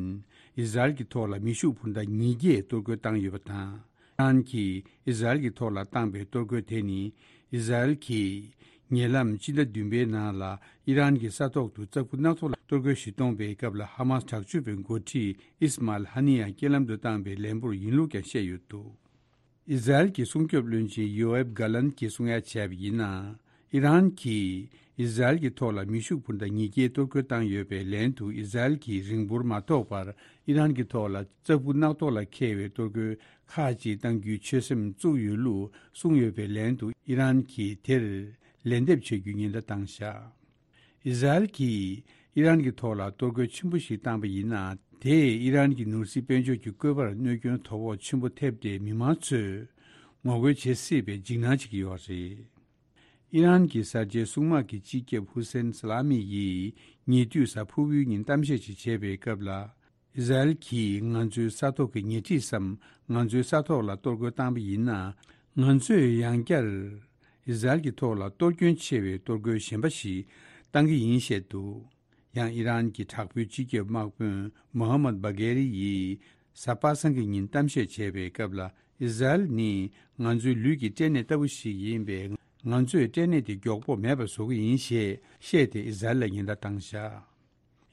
ཨི་ཟ་རེལ་གྱི་ཐོག་ལ་མེ་ཤུགས་འཕུར་མདའ་ཉིས་བརྒྱས་གཏོར་རྒོལ་བཏང་ཡོད་པ་དང་། ཨི་རན་གྱིས་ཨི་ཟ་རེལ་གྱི་ཐོག་ལ་བཏང་པའི་གཏོར་རྒོལ་དེ་ནི། ཨི་ཟ་རེལ་གྱིས་ཉེ་ལམ་སྤྱི་ཟླ་བདུན་པའི་ནང་ལ་ཨི་རན་གྱི་ས་ཐོག་ཏུ་ལྕགས་ཕུར་སྣ་ཚོགས་ལ་གཏོར་རྒོལ་ཞིག་གཏོང་པའི་སྐབས་ལ། ཧ་མཱས་དྲག་སྤྱོད་པའི་འགོ་ཁྲིད་ཨིས་མཱལ་ཧ་ནི་ཡ་རྐྱེན་ལམ་དུ་བཏང་པའི་ལན་པོར་ཡིན་ལུགས་ཀྱང་བཤད་ཡོད་འདུག་ཨི་ཟ་རེལ་གྱི་སྲུང་སྐྱོབ་བློན་ཆེན་ཡོ་ཨེབ་གྷ་ལན་གྱིས་གསུང་ཡ་བྱས་པ་ཡིན་ན། ཨི་རན་གྱིས་ཨི་ཟ་རེལ་གྱི་ཐོག་ལ་མེ་ཤུགས་འཕུར་མདའ་ཉིས་བརྒྱའི་གཏོར་རྒོལ་བཏང་ཡོད་པའི་ལན་དུ། ཨི་ཟ་རེལ་གྱིས་རིང་པོར་མ་ཐོགས་པར་ཨི་རན་གྱི་ཐོག་ལ་ལྕགས་ཕུར་སྣ་ཐོག་ལ་འཁེལ་བའི་གཏོར་རྒོལ་ཁག་ཅིག་གཏང་རྒྱུའི་ཆོད་སེམས་བཙུགས་ཡོད་ལུགས་གསུངས་ཡོད་པའི་ལན་དུ། ཨི་རན་གྱིས་དེར་ལན་འདེབས་བྱ་རྒྱུའི་ཉེན་བརྡ་བཏང་བཞག་ཨི་ཟ་རེལ་གྱིས་ཨི་རན་གྱི་ཐོག་ལ་གཏོར་རྒོལ་ཆེན་པོ་ཞིག་བཏང་པ་ཡིན་ན། དེས་ཨི་རན་གྱི་ནོར་སྲིད་དཔལ་འབྱོར་གྱི་བཀོད་པར་གནོད་སྐྱོན་དོ་ཕོག་ཆེན་པོ་ཐེབས་ཏེ། མི་མང་ཚོས་ངོ་རྒོལ་བྱེད་སྲིད་པའི་འཇིགས་སྣང་བྱེད་ཀྱི་ཡོད་རེད། ཨི་རན་གྱི་གསར་བརྗེའི་སྲུང་དམག་གི་སྤྱི་ཁྱབ་ཧུ་སེན་སཱ་ལ་མི་ཡིས་ཉེ་དུས་གཟའ་ཕུར་བུའི་ཉིན་གཏམ་བཤད་ཅིག་བྱས་པའི་སྐབས་ལ། ཨི་ཟ་རེལ་གྱིས་ང་ཚོའི་ས་ཐོག་གི་ཉེ་འཁྲིས་སམ། ང་ཚོའི་ས་ཐོག་ལ་གཏོར་རྒོལ་བཏང་པ་ཡིན་ན། ང་ཚོས་ཡང་བསྐྱར་ཨི་ཟ་རེལ་གྱི་ཐོག་ལ་གཏོར་སྐྱོན་ཆེ་བའི་གཏོར་རྒོལ་གཞན་པ་ཞིག་བཏང་གི་ཡིན་བཤད་འདུག་ཡང་ཨི་རན་གྱི་དྲག་པོའི་སྤྱི་ཁྱབ་དམག་དཔོན་མོ་ཧ་མད་བྷ་གྷེ་རི་ཡིས་གཟའ་པ་སངས་ཀྱི་ཉིན་གཏམ་བཤད་བྱས་པའི་སྐབས་ལ། ཨི་ཟ་རེལ་ནི་ང་ཚོའི་ལུས་ཀྱི་སྐྲན་ནད་ལྟ་བུ་ཞིག་ཡིན་པས། ང་ཚོས་སྐྲན་ནད་དེ་མགྱོགས་པོ་མེད་པ་བཟོ་གི་ཡིན་ཞེས་བཤད་དེ། ཨི་ཟ་རེལ་ལ་ཉེན་བརྡ་བཏང་བཞག་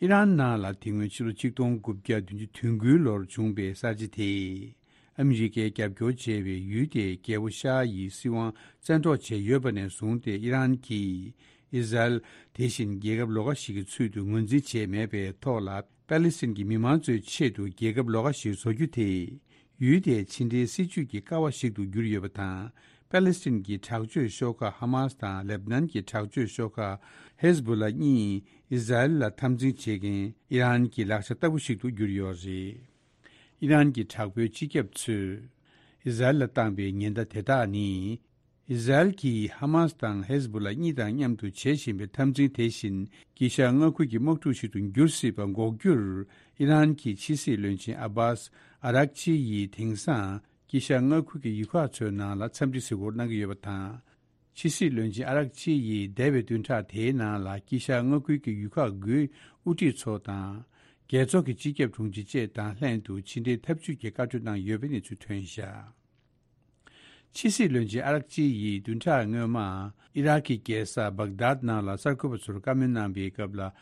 ཨི་རན་ནང་ལ་དེ་སྔོན་ཕྱི་ལོ་ཆིག་སྟོང་དགུ་བརྒྱ་བདུན་ཅུ་དོན་དགུའི་ལོར་བྱུང་པའི་གསར་བརྗེ་དེས། ཨ་མི་རི་ཀས་རྒྱབ་སྐྱོར་བྱས་པའི་ཡུལ་དེའི་རྒྱལ་པོ་ཤཱ་ཡི་སྲིད་དབང་བཙན་འཕྲོག་བྱས་ཡོད་པ་ནས་བཟུང་སྟེ། ཨི་རན་གྱིས་ཨི་ཟ་རེལ་དེ་བཞིན་རྒྱལ་ཁབ་ལོགས་ཀ་ཞིག་གི་ཚུལ་དུ་ངོས་འཛིན་བྱས་མེད་པའི་ཐོག་ལ། པ་ལི་སི་ཐན་གྱི་མི་མང་ཚོའི་ཆེད་དུ་རྒྱལ་ཁབ་ལོགས་ཀ་ཞིག་བཟོ་རྒྱུ་དེས། ཡུལ་དེའི་ཕྱི་འབྲེལ་སྲིད་ཇུས་ཀྱི་ཀ་བ་ཞིག་ཏུ་གྱུར་ཡོད་པ་དང་། པ་ལི་སི་ཐན་གྱི་དྲག་སྤྱོད་ཤོག་ཁག་ཧ་མཱས་དང་ལེབ་ནན་གྱི་དྲག་སྤྱོད་ཤོག་ཁག་ཧེ་ཟ་བུ་ལ་གཉིས་ཨི་ཟ་རེལ་ལ་འཐབ་འཛིང་བྱེད་མཁན་ཨི་རན་གྱི་ལག་ཆ་ལྟ་བུ་ཞིག་ཏུ་གྱུར་ཡོད་རེད། ཨི་རན་གྱི་དྲག་པོའི་སྤྱི་ཁྱབ་ཚོས་ཨི་ཟ་རེལ་ལ་བཏང་པའི་ཉེན་བརྡ་དེ་དག་ནི། ཨི་ཟ་རེལ་གྱིས་ཧ་མཱས་དང་ཧེ་ཟ་བུ་ལ་གཉིས་དང་མཉམ་དུ་བྱེད་བཞིན་པའི་འཐབ་འཛིང་དེ་བཞིན་དཀྱིལ་ཤར་མངའ་ཁུལ་གྱི་དམག་འཁྲུག་ཞིག་ཏུ་འགྱུར་སྲིད་པ་འགོག་རྒྱུར། ཨི་རན་གྱི་ཕྱི་སྲིད་བློན་ཆེན་ཨ་བྷཱས་ཨ་རག་ཆི་ཡིས་དེང་སང་དཀྱིལ་ཤར་མངའ་ཁུལ་གྱི་ཡུལ་ཁག་ཚོའི་ནང་ལ་འཚམས་འདྲི་གཟིགས་སྐོར་གནང་གི་ཡོད་པ་དང་། ཕྱི་སྲིད་བློན་ཆེན་ཨ་རག་ཅི་ཡིས་འདས་པའི་བདུན་ཕྲག་དེའི་ནང་ལ་དཀྱིལ་ཤར་མངའ་ཁུལ་གྱི་ཡུལ་ཁག་དགུའི་དབུ་ཁྲིད་ཚོ་དང་། རྒྱལ་ཚོགས་ཀྱི་སྤྱི་ཁྱབ་དྲུང་ཆེ་བཅས་དང་ལྷན་དུ་ཕྱི་འབྲེལ་འཐབ་ཇུས་ཀྱི་བཀའ་གྲོས་གནང་ཡོད་པའི་གནས་ཚུལ་ཐོན་བཞག་ཕྱི་སྲིད་བློན་ཆེན་ཨ་རག་ཅི་ཡིས་བདུན་ཕྲག་སྔོན་མ་ཨི་རག་གི་རྒྱལ་ས་བྷག་དཱད་ནང་ལ་གསར་འགོད་པ་ཚོར་བཀའ་མོལ་གནང་པའི་སྐབས་ལ།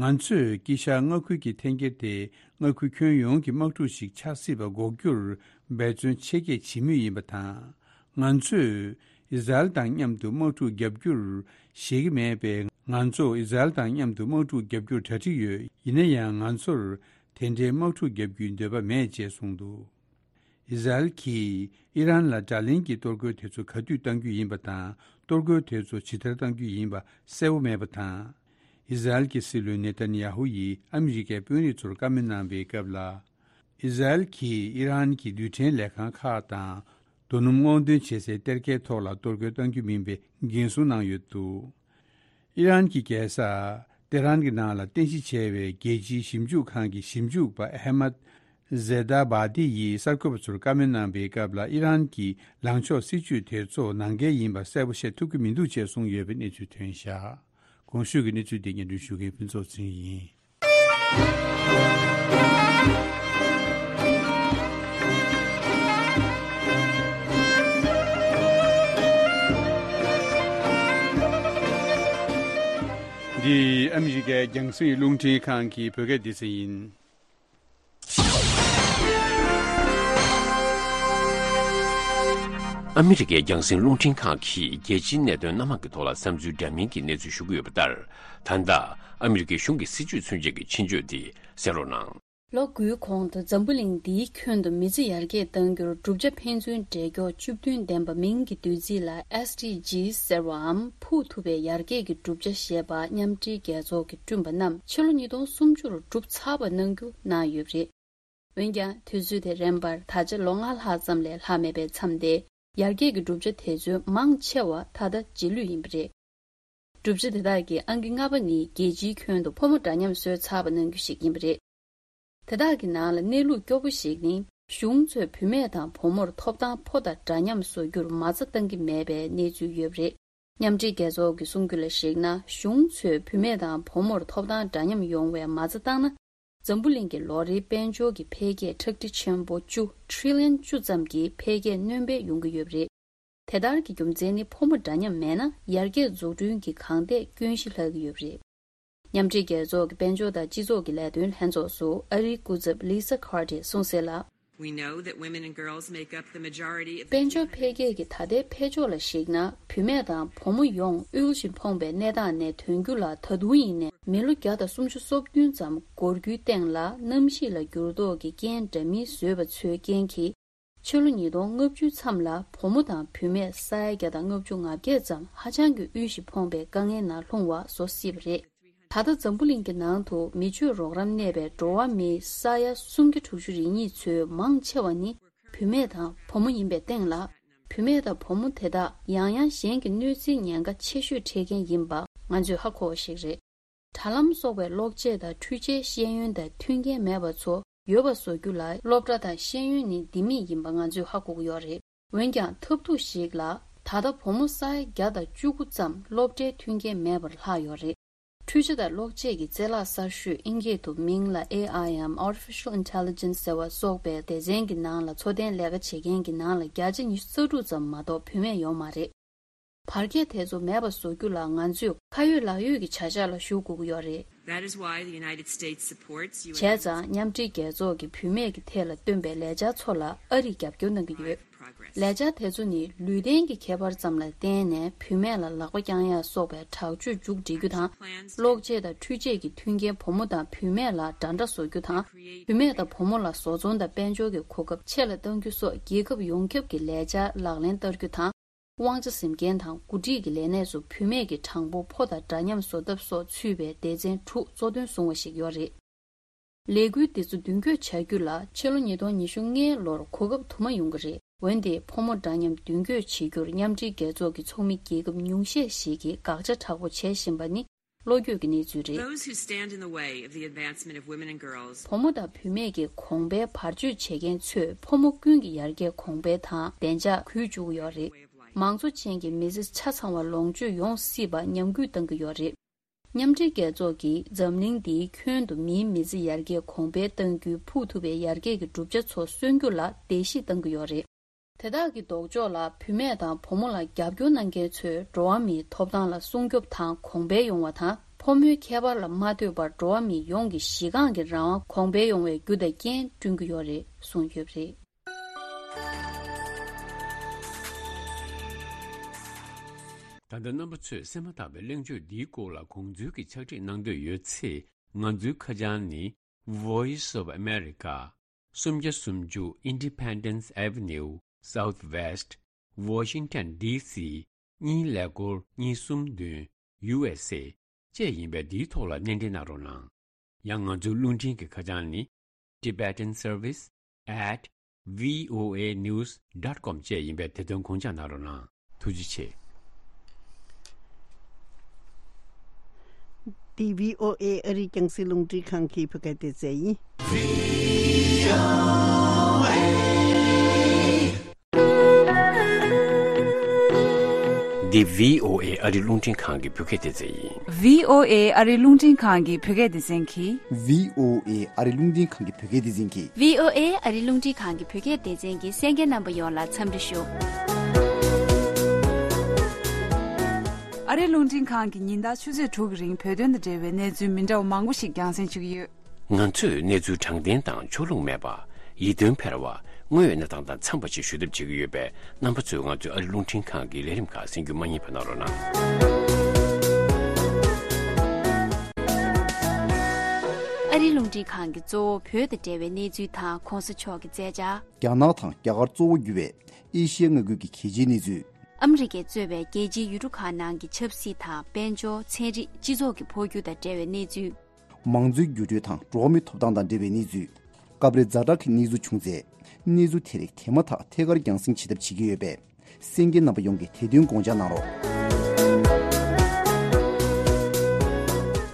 ང་ཚོས་དཀྱིལ་ཤར་མངའ་ཁུལ་གྱི་འཐེན་འཁྱེར་དེ་མངའ་ཁུལ་ཁྱོན་ཡོངས་ཀྱི་དམག་འཁྲུག་ཞིག་ཆགས་སྲིད་པ་འགོག་རྒྱུར་འབད་བརྩོན་ཆེ་བསྐྱེད་བྱེད་མུས་ཡིན་པ་དང་། ང་ཚོས་ཨི་ཟ་རེལ་དང་མཉམ་དུ་དམག་འཁྲུག་བརྒྱབ་རྒྱུར་བཞེད་ཀྱི་མེད་པས། ང་ཚོ་ཨི་ཟ་རེལ་དང་མཉམ་དུ་དམག་འཁྲུག་བརྒྱབ་རྒྱུར་གྲ་སྒྲིག་ཡོད། ཡིན་ན་ཡང་ང་ཚོར་དེ་འདྲའི་དམག་འཁྲུག་བརྒྱབ་རྒྱུའི་འདོད་པ་མེད་ཅེས་གསུངས་འདུག་ཨི་ཟ་རེལ་གྱིས་ཨི་རན་ལ་དགྲ་ལན་གྱི་གཏོར་རྒོལ་དེ་ཚོ་ག་དུས་གཏང་རྒྱུ་ཡིན་པ་དང་། གཏོར་རྒོལ་དེ་ཚོ་ཇི་ལྟར་གཏང་རྒྱུ་ཡིན་པ་གསལ་པོ་མེད་པ་དང་། ཨི་ཟ་རེལ་གྱི་སྲིད་བློན་ནེ་ཐན་ཡ་ཧུ་ཡིས་ཨ་མི་རི་ཀའི་དཔོན་རིགས་ཚོར་བཀའ་མོལ་གནང་པའི་སྐབས་ལ། ཨི་ཟ་རེལ་གྱིས་ཨི་རན་གྱི་རྡུལ་ཕྲན་ལས་ཁང་ཁག་དང་། རྡོ་སྣུམ་སྔོག་འདོན་བྱེད་སའི་གཏེར་ཁའི་ཐོག་ལ་གཏོར་རྒོལ་གཏང་རྒྱུ་མིན་པའི་འགན་སྲུང་གནང་ཡོད་འདུག་ཨི་རན་གྱི་རྒྱལ་ས་ཏེ་ཧྲན་གྱི་ནང་ལ་རྟེན་གཞི་བྱས་པའི་རྒྱལ་སྤྱིའི་ཞིབ་འཇུག་ཁང་གི་ཞིབ་འཇུག་པ་ཨེ་མད་ཟེ་ད་བྷ་ཏི་ཡིས་གསར་འགོད་པ་ཚོར་བཀའ་མོལ་གནང་པའི་སྐབས་ལ། ཨི་རན་གྱི་ལངས་ཕྱོགས་སྲིད་ཇུས་དེ་ཚོ་ནང་འགལ་ཡིན་པ་གསལ་པོ་བཤད་ཐུབ་ཀྱི་མི་འདུག་ཅེས་གསུངས་ཡོད་པའི་གནས་ཚུལ་ཐོན་བཞག་གོང་ཞུས་ཀྱི་གནས་ཚུལ་དེ་སྙན་སྒྲོན་ཞུ་མཁན་ཕུན་ཚོགས་ཚེ་རིང་ཡིན། འདི་ཨ་མི་རི་ཀའི་རྒྱང་སྲིང་རླུང་འཕྲིན་ཁང་གི་བོད་སྐད་སྡེ་ཚན་ཡིན། ཨ་མི་རི་ཀའི་རྒྱང་སྲིང་རླུང་འཕྲིན་ཁང་གིས་རྒྱལ་སྤྱིའི་གནད་དོན་སྣ་མང་གི་ཐོག་ལ་བསམ་ཚུལ་འདྲ་མིན་གྱི་གནས་ཚུལ་ཞུ་གི་ཡོད་པ་ལྟར། ད་ལྟ་ཨ་མི་རི་ཀའི་གཞུང་གི་སྲིད་བྱུས་མཚོན་བྱེད་ཀྱི་ཆེད་བརྗོད་འདི་གསན་རོགས་གནང་། ལོ་དགུའི་གོང་དུ་འཛམ་བུ་གླིང་འདིའི་ཁྱོན་དུ་མི་ཚེ་ཡར་རྒྱས་གཏང་རྒྱུར་བསྒྲུབ་བྱ་ཕན་ཚུན་འབྲེལ་འཁྱོག་བཅུ་བདུན་ལྡན་པ་མིང་གི་བསྡུས་ཚིག་ལ་ཨེས་ཌི་ཇིས་ཟེར་བའམ་ཕུགས་ཐུབ་པའི་ཡར་རྒྱས་ཀྱི་བསྒྲུབ་བྱ་ཞེས་པ་མཉམ་འབྲེལ་རྒྱལ་ཚོགས་ཀྱིས་བསྐྲུན་པ་རྣམས་ཕྱི་ལོ་ཉིས་སྟོང་སུམ་ཅུ་རུ་གྲུབ་ཚར་བ་གནང་རྒྱུ་གནང་ཡོད་པ་རེད། འོན་ཀྱང་དུས་ཚོད་དེ་རན་པར་ད་ཆ་ལོ་ལྔ་ལྷག་ཙམ་ལས་ལྷག་མེད་པས་མཚམས་ཏེ། ཡར་རྒྱས་ཀྱི་བསྒྲུབ་བྱ་དེ་ཚོའི་མང་ཆེ་བ་ད་ལྟ་རྗེས་ལུས་ཡིན་པ་རེད། བསྒྲུབ་བྱ་དེ་དག་གི་ཨང་ཀི་ལྔ་པ་ནི་རྒྱལ་སྤྱིའི་ཁྱོན་དུ་ཕོ་མོ་འདྲ་མཉམ་བཟོས་ཚར་བ་གནང་རྒྱུ་ཞིག་ཡིན་པ་རེད། དེ་དག་གི་ནང་ལ་གནས་ལུགས་སྐྱོ་པོ་ཞིག་ནི། གཞུང་ཚོས་བུད་མེད་དང་བུ་མོར་ཐོབ་ཐང་ཕོ་དང་འདྲ་མཉམ་བཟོ་རྒྱུར་མ་རྩ་བཏང་གི་མེད་པའི་གནས་ཚུལ་ཡོད་པ་རེད། མཉམ་འབྲེལ་རྒྱལ་ཚོགས་ཀྱི་གསུང་རྒྱུ་ལ་གཞིགས་ན། གཞུང་ཚོས་བུད་མེད་དང་བུ་མོར་ཐོབ་ཐང་འདྲ་མཉམ་ཡོང་བའི་མ་རྩ་བཏང་ན། འཛམ་བུ་གླིང་གི་ལོ་རེའི་དཔལ་འབྱོར་གྱི་འཕེལ་རྒྱས་ཁྲག་ཁྲིག་ཆེན་པོ་བཅུ། ཊི་རི་ལི་ཡན་བཅུ་ཙམ་གྱི་འཕེལ་རྒྱས་སྣོན་པ་ཡོང་གི་ཡོད་པ་རེད། དེ་ལྟར་གྱི་རྒྱུ་མཚན་ནི། ཕོ་མོ་འདྲ་མཉམ་མེད་ན། ཡར་རྒྱས་འཛུགས་སྐྲུན་གྱི་གང་ཐད་སྐྱོན་གཞི་ལྷག་གི་ཡོད་པ་རེད། མཉམ་འབྲེལ་རྒྱལ་ཚོགས་ཀྱི་དཔལ་འབྱོར་དང་སྤྱི་ཚོགས་ཀྱི་ལས་དོན་ལྷན་ཚོགས་སུ་ཨ་རིའི་སྐུ་ཚབ་Lisa Carter གསུངས་གསལ་ལ། We know that women and girls make up the majority of དཔལ་འབྱོར་འཕེལ་རྒྱས་ཀྱི་ད་ལྟའི་འཕེལ་ཕྱོགས་ལ་གཞིགས་ན། བུད་མེད་དང་བུ་མོ་ཡོངས་དབུལ་ཞིང་ཕོངས་པའི་གནས་སྟངས་ནས་ཐོན་རྒྱུ་ལ་ད་དུང་ཡིན་ནའི་མི་ལོ་བརྒྱ་དང་སུམ་ཅུ་སོ་བདུན་ཙམ་འགོར་རྒྱུའི་སྟེང་ལ། གནམ་གཤིས་ལ་འགྱུར་ལྡོག་གི་རྐྱེན་འདྲ་མིན་བཟོས་པ་ཚོའི་རྐྱེན་གྱིས། ཕྱི་ལོ་ཉིས་སྟོང་ལྔ་བཅུའི་མཚམས་ལ་བུ་མོ་དང་བུད་མེད་ས་ཡ་བརྒྱ་དང་ལྔ་བཅུ་ང་བརྒྱད་ཙམ་ཧ་ཅང་གི་དབུལ་ཞིང་ཕོངས་པའི་དཀའ་ངལ་ནང་ལྷུང་བ་བཟོ་སྲིད་པ་རེད། ད་ལྟ་འཛམ་བུ་གླིང་གི་ནང་དུ་མི་ཆོས་རོགས་རམ་གནས་པའི་འགྲོ་བ་མིའི་ས་ཡ་སུམ་བརྒྱ་དྲུག་ཅུ་རེ་གཉིས་ཚོའི་མང་ཆེ་བ་ནི་བུད་མེད་དང་བུ་མོ་ཡིན་པའི་སྟེང་ལ། བུད་མེད་དང་བུ་མོ་དེ་དག་ཡང་ཡང་གཞན་གྱི་གནོད་འཚེའི་ཉེན་ཁ་ཆེ་ཤོས་འཕྲད་མཁན་ཡིན་པ་ང་ཚོས་ཧ་གོ་བ་ཞིག་རེད། དྲ་ལམ་སོགས་པའི་གློག་ཆས་དང་འཕྲུལ་ཆས་ཤེས་ཡོན་དང་མཐུན་རྐྱེན་མེད་པ་ཚོ་ཡོད་པ་བཟོ་རྒྱུ་ལ། སློབ་གྲྭ་དང་ཤེས་ཡོན་ནི་ལྡེ་མིག་ཡིན་པ་ང་ཚོས་ཧ་གོ་གི་ཡོད་རེད། འོན་ཀྱང་ཐབས་སྡུག་ཞིག་ལ། ད་ལྟ་བུ་མོ་ས་ཡ་བརྒྱ་དང་བཅུ་དགུ་ཙམ་སློབ་གྲྭའི་མཐུན་རྐྱེན་མེད་པར་ལྷག་ཡོད་རེད། འཕྲུལ་ཆས་དང་གློག་ཆས་ཀྱི་རྩལ་ལག་གསར་ཤོས་ཨིན་སྐད་དུ་མིང་ལ་ཨེ་ཨའི་ཡམ། Artificial Intelligence ཟེར་བ་སོགས་པའི་སྡེ་ཚན་གྱི་ནང་ལ་འཚོ་རྟེན་ལས་ཀ་བྱེད་མཁན་གྱི་ནང་ལ་བརྒྱ་ཆ་ཉི་ཤུ་རྩ་དྲུག་ཙམ་མ་གཏོགས་བུད་མེད་ཡོད་མ་རེད། བར་ཁྱད་དེ་ཚོ་མེད་པ་བཟོ་རྒྱུ་ལ་ང་ཚོས་ཁ་ཡོད་ལག་ཡོད་ཀྱི་བྱ་གཞག་ལ་ཞུགས་དགོས་ཀྱི་ཡོད་རེད། That is why the United States supports བྱས་ཙང་མཉམ་འབྲེལ་རྒྱལ་ཚོགས་ཀྱིས་བུད་མེད་ཀྱི་ཐད་ལ་བཏོན་པའི་ལས་འཆར་ཚོ་ལ་ཨ་རིས་རྒྱབ་སྐྱོར་གནང་གི་ཡོད། ལས་འཆར་དེ་ཚོ་ནི་ལུས་རྟེན་གྱི་ཁྱད་པར་ཙམ་ལ་བརྟེན་ནས་བུད་མེད་ལ་ལག་པ་བརྐྱང་ཡག་སོགས་པའི་དྲག་སྤྱོད་མཇུག་སྒྲིལ་རྒྱུ་དང་། གློག་ཆས་དང་འཕྲུལ་ཆས་ཀྱི་མཐུན་རྐྱེན་བུ་མོ་དང་བུད་མེད་ལ་འདྲ་འདྲ་བཟོ་རྒྱུ་དང་། བུད་མེད་དང་བུ་མོ་ལ་བཟོ་ཚོང་དང་དཔལ་འབྱོར་གྱི་གོ་སྐབས་ཆེ་ལ་གཏང་རྒྱུ་སོགས་རྒྱལ་ཁབ་ཡོངས་ཁྱབ་ཀྱི་ལས་འཆར་ལག་ལེན་བསྟར་རྒྱུ་དང་། དབང་ཆ་ཟིན་མཁན་དང་འགོ་ཁྲིད་ཀྱི་ལས་གནས་སུ་བུད་མེད་ཀྱི་གྲངས་འབོར་ཕོ་དང་འདྲ་མཉམ་བཟོ་ཐབས་སོགས་ཚུད་པའི་སྡེ་ཚན་དྲུག་གཙོ་འདོན་བཟུང་བ་ཞིག་ཡོད་རེད། ལས་འགུལ་འདི་ཚོ་མདུན་སྐྱོད་བྱ་རྒྱུ་ལ་ཕྱི་ལོ་ཉིས་སྟོང་ཉི་ཤུ་ལྔའི་ལོར་གོ་སྐབས་དུ་མ་ཡོང་གི་རེད། འོན་ཏེ་ཕོ་མོ་འདྲ་མཉམ་མདུན་སྐྱོད་བྱེད་རྒྱུར་མཉམ་འབྲེལ་རྒྱལ་ཚོགས་ཀྱི་ཚོགས་མི་རྒྱལ་ཁབ་ཉུང་ཤས་ཤིག་གིས་དགག་བྱ་དྲག་པོ་བྱེད་བཞིན་པ་ནི་བློ་འགྱོད་ཀྱི་གནས་ཚུལ་རེད། Those who stand in the way of the advancement of women and girls བུ་མོ་དང་བུད་མེད་ཀྱི་གོང་འཕེལ་བར་གཅོད་བྱེད་མཁན་ཚོས་ཕོ་མོ་ཀུན་གྱི་ཡར་རྒྱས་གོང་འཕེལ་དང་བདེ་འཇགས་གུད་བཅུག་གི་ཡོད་རེད། མང་གཙོ་ཅན་གྱི་མི་ཚེ་ཆ་ཚང་བ་ལོངས་སྤྱོད་ཡོང་སྲིད་པ་ཉམས་རྒུད་གཏང་གི་ཡོད་རེད། མཉམ་འབྲེལ་རྒྱལ་ཚོགས་ཀྱིས་འཛམ་གླིང་འདིའི་ཁྱོན་དུ་མིའི་མི་ཚེ་ཡར་རྒྱས་གོང་འཕེལ་གཏང་རྒྱུའི་ཕུགས་ཐུབ་པའི་ཡར་རྒྱས་ཀྱི་གྲུབ་ཆ་ཚོ་སོན་རྒྱུ་ལ་བརྡལ་བཤིག་གཏང་གི་ཡོད་རེད། དེ་དག་གི་ལྡོག་ཕྱོགས་ལ་བུད་མེད་དང་བུ་མོ་ལ་རྒྱབ་སྐྱོར་གནང་མཁན་ཚོས་འགྲོ་བ་མིའི་ཐོབ་ཐང་ལ་སྲུང་སྐྱོབ་དང་གོང་འཕེལ་ཡོང་བ་དང་ཕོ་མོའི་ཁྱད་པར་ལ་མ་ལྟོས་པར་འགྲོ་བ་མི་ཡོངས་ཀྱི་གཞི་རྐང་གི་རང་དབང་གོང་འཕེལ་ཡོང་བའི་རྒྱུ་དང་རྐྱེན་བསྐྲུན་གྱི་ཡོད་རེད་གསུངས་ཡོད་པ་རེད། ད་ལྟ་རྣམ་པ་ཚོས་གསན་མ་ཐག་པའི་གླེང་བརྗོད་འདིའི་སྐོར་ལ་དགོངས་ཚུལ་གྱི་ཕྱག་བྲིས་གནང་འདོད་ཡོད་ཚེ། ང་ཚོའི་ཁ་བྱང་ནི། Voice of America། སུམ་བརྒྱ་སུམ་ཅུ་Independence Avenue Southwest Washington D C གཉིས་ཀླད་ཀོར་གཉིས་གསུམ་བདུན། U S A བཅས་ཡིན་པས་འདིའི་ཐོག་ལ་སྣེ་འདྲེན་གནང་རོགས་གནང་། ཡང་ང་ཚོའི་རླུང་འཕྲིན་གྱི་ཁ་བྱང་ནི། Tibetan Service at V O A news dot com བཅས་ཡིན་པས་དེ་དོན་དགོངས་འཇགས་གནང་རོགས་གནང་། ཐུགས་རྗེ་ཆེ། འདི་V O A ཨ་རིའི་རྒྱང་སྲིང་རླུང་འཕྲིན་ཁང་གི་བོད་སྐད་སྡེ་ཚན་ཡིན། འདི་V O A ཨ་རིའི་རླུང་འཕྲིན་ཁང་གི་བོད་སྐད་སྡེ་ཚན་ཡིན། V O A ཨ་རིའི་རླུང་འཕྲིན་ཁང་གི་བོད་སྐད་སྡེ་ཚན་གྱིས། V O A ཨ་རིའི་རླུང་འཕྲིན་ཁང་གི་བོད་སྐད་སྡེ་ཚན་གྱིས། V O A ཨ་རིའི་རླུང་འཕྲིན་ཁང་གི་བོད་སྐད་སྡེ་ཚན་གྱི་གསན་མཁན་རྣམ་པ་ཡོངས་ལ་འཚམས་འདྲི་ཞུ། ཨ་རིའི་རླུང་འཕྲིན་ཁང་གིས་ཉིན་ལྟར་ཆུ་ཚོད་དྲུག་གི་རིང་བོད་དོན་དང་འབྲེལ་བའི་གནས་ཚུལ་མི་འདྲ་བ་མང་པོ་ཞིག་རྒྱང་སྲིང་བྱེད་ཀྱི་ཡོད། ང་ཚོས་གནས་ཚུལ་དྲང་བདེན་དང་ཕྱོགས་ལྷུང་མེད་པ། ཡིད་རྟོན་འཕེར་བ། དངོས་ཡོད་གནས་སྟངས་དང་འཚམས་པ་ཞིག་ཞུ་ཐབས་བྱེད་ཀྱི་ཡོད་པས། རྣམ་པ་ཚོས་ང་ཚོའི་ཨ་རིའི་རླུང་འཕྲིན་ཁང་གི་ལས་རིམ་ཁག་གསན་རྒྱུ་མ་བསྙེལ་བ་གནང་རོགས་གནང་། ཨ་རིའི་རླུང་འཕྲིན་ཁང་གིས་གཙོ་བོ་བོད་དང་འབྲེལ་བའི་གནས་ཚུལ་དང་གོང་ས་མཆོག་གི་མཛད་འཆར། རྒྱ་ནག་དང་རྒྱ་གར་གཙོ་བོ་གྱུར་བའི་ཨེ་ཤི་ཡ་མངའ་ཁུལ་གྱི་གལ་ཆེའི་གནས་ཚུལ། ཨ་མི་རི་ཀས་གཙོས་པའི་རྒྱལ་སྤྱིའི་ཡུལ་གྲུ་ཁག་ནང་གི་ཆབ་སྲིད་དང་། དཔལ་འབྱོར། ཚན་རིག་སྤྱི་ཚོགས་ཀྱི་འཕོ་འགྱུར་དང་འབྲེལ་བའི་གནས་ཚུལ། མང་གཙོའི་འགྱུར་འགྲོས་དང་འགྲོ་བ་མིའི་ཐོབ་ཐང་དང་འབྲེལ་བའི་གནས་ཚུལ། སྐབས་རེ་ཛ་དྲག་གི་གནས་ཚུལ་བྱུང་ཚེ། གནས་ཚུལ་དེ་རིགས་དེ་མ་ཐག་ཐད་ཀར་རྒྱང་སྲིང་བྱེད་ཐབས་བྱེད་ཀྱི་ཡོད་པས། གསན་མཁན་རྣམ་པ་ཡོངས་ཀྱིས་དེ་དོན་དགོངས་འཇགས་གནང་རོགས།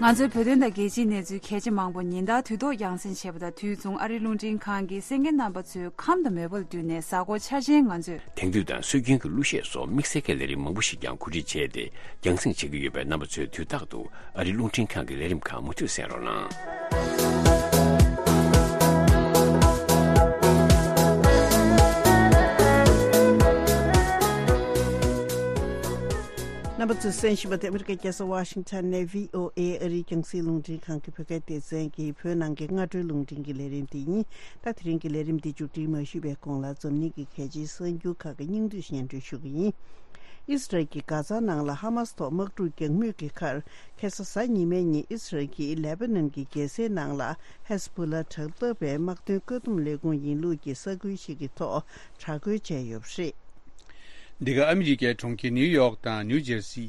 ང་ཚོའི་བོད་དོན་དང་རྒྱལ་སྤྱིའི་གནས་ཚུལ་གལ་ཆེ་མང་པོ་ཉིན་ལྟར་དུས་ཐོག་རྒྱང་སྲིང་བྱེད་པ་དང་། དུས་མཚུངས་ཨ་རིའི་རླུང་འཕྲིན་ཁང་གིས་གསན་མཁན་རྣམ་པ་ཚོའི་ཁམས་དང་མོས་པ་ལ་བསྟུན་ནས། གཟའ་འཁོར་འཆར་ཅན་ང་ཚོས། དེང་དུས་དང་སྲོལ་རྒྱུན་གྱི་གླུ་གཞས་སོགས་དམིགས་བསལ་གྱི་ལས་རིམ་མང་པོ་ཞིག་ཀྱང་གོ་སྒྲིག་བྱས་ཏེ་རྒྱང་སྲིང་བྱེད་ཀྱི་ཡོད་པས། རྣམ་པ་ཚོས་དུས་རྟག་ཏུ་ཨ་རིའི་རླུང་འཕྲིན་ཁང་གི་ལས་རིམ་ཁག་མུ་མཐུད་གསན་རོགས་གནང་། རྣམ་པ་ཚོས་གསན་བཞིན་པ་དེ་ཨ་མི་རི་ཀའི་རྒྱལ་ས་ཝ་ཤིང་ཊོན་ནས་V O A ཨ་རིའི་རྒྱང་སྲིང་རླུང་འཕྲིན་ཁང་གི་བོད་སྐད་སྡེ་ཚན་གྱི་བོད་ནང་གི་སྔ་དྲོའི་རླུང་འཕྲིན་གྱི་ལས་རིམ་དེ་ཡིན། ད་དེ་རིང་གི་ལས་རིམ་འདི་མཇུག་སྒྲིལ་མ་ཞུས་པའི་གོང་ལ་འཛམ་གླིང་གི་གལ་ཆེའི་གསར་འགྱུར་ཁག་གི་སྙིང་བསྡུས་སྙན་སྒྲོན་ཞུ་གི་ཡིན། ཨིས་རལ་གྱིས་གྷ་ཛ་ནང་ལ་ཧ་མ་སི་ཐོག་དམག་འཁྲུག་རྒྱག་མུས་ཀྱི་ཁར། ཁ་སང་གཟའ་ཉི་མའི་ཉིན་ཨིས་རལ་གྱིས་ལེ་པ་ནན་གྱི་རྒྱལ་སའི་ནང་ལ་ཧེ་སི་བྷུ་ལ་དྲག་འཐབ་པའི་དམག་དོན་བཀག་སྡོམ་ལས་ཁུངས་ཡིན་ལུགས་ཀྱི་ས་ཁུལ་ཞིག་གི་ཐོག་དྲག་རྒོལ་བྱས་ཡོད་པ་རེད། འདི་ག་ཨ་མི་རི་ཀའི་གྲོང་ཁྱེར་ནིའུ་ཡོག་དང་ནིའུ་ཇེར་སི།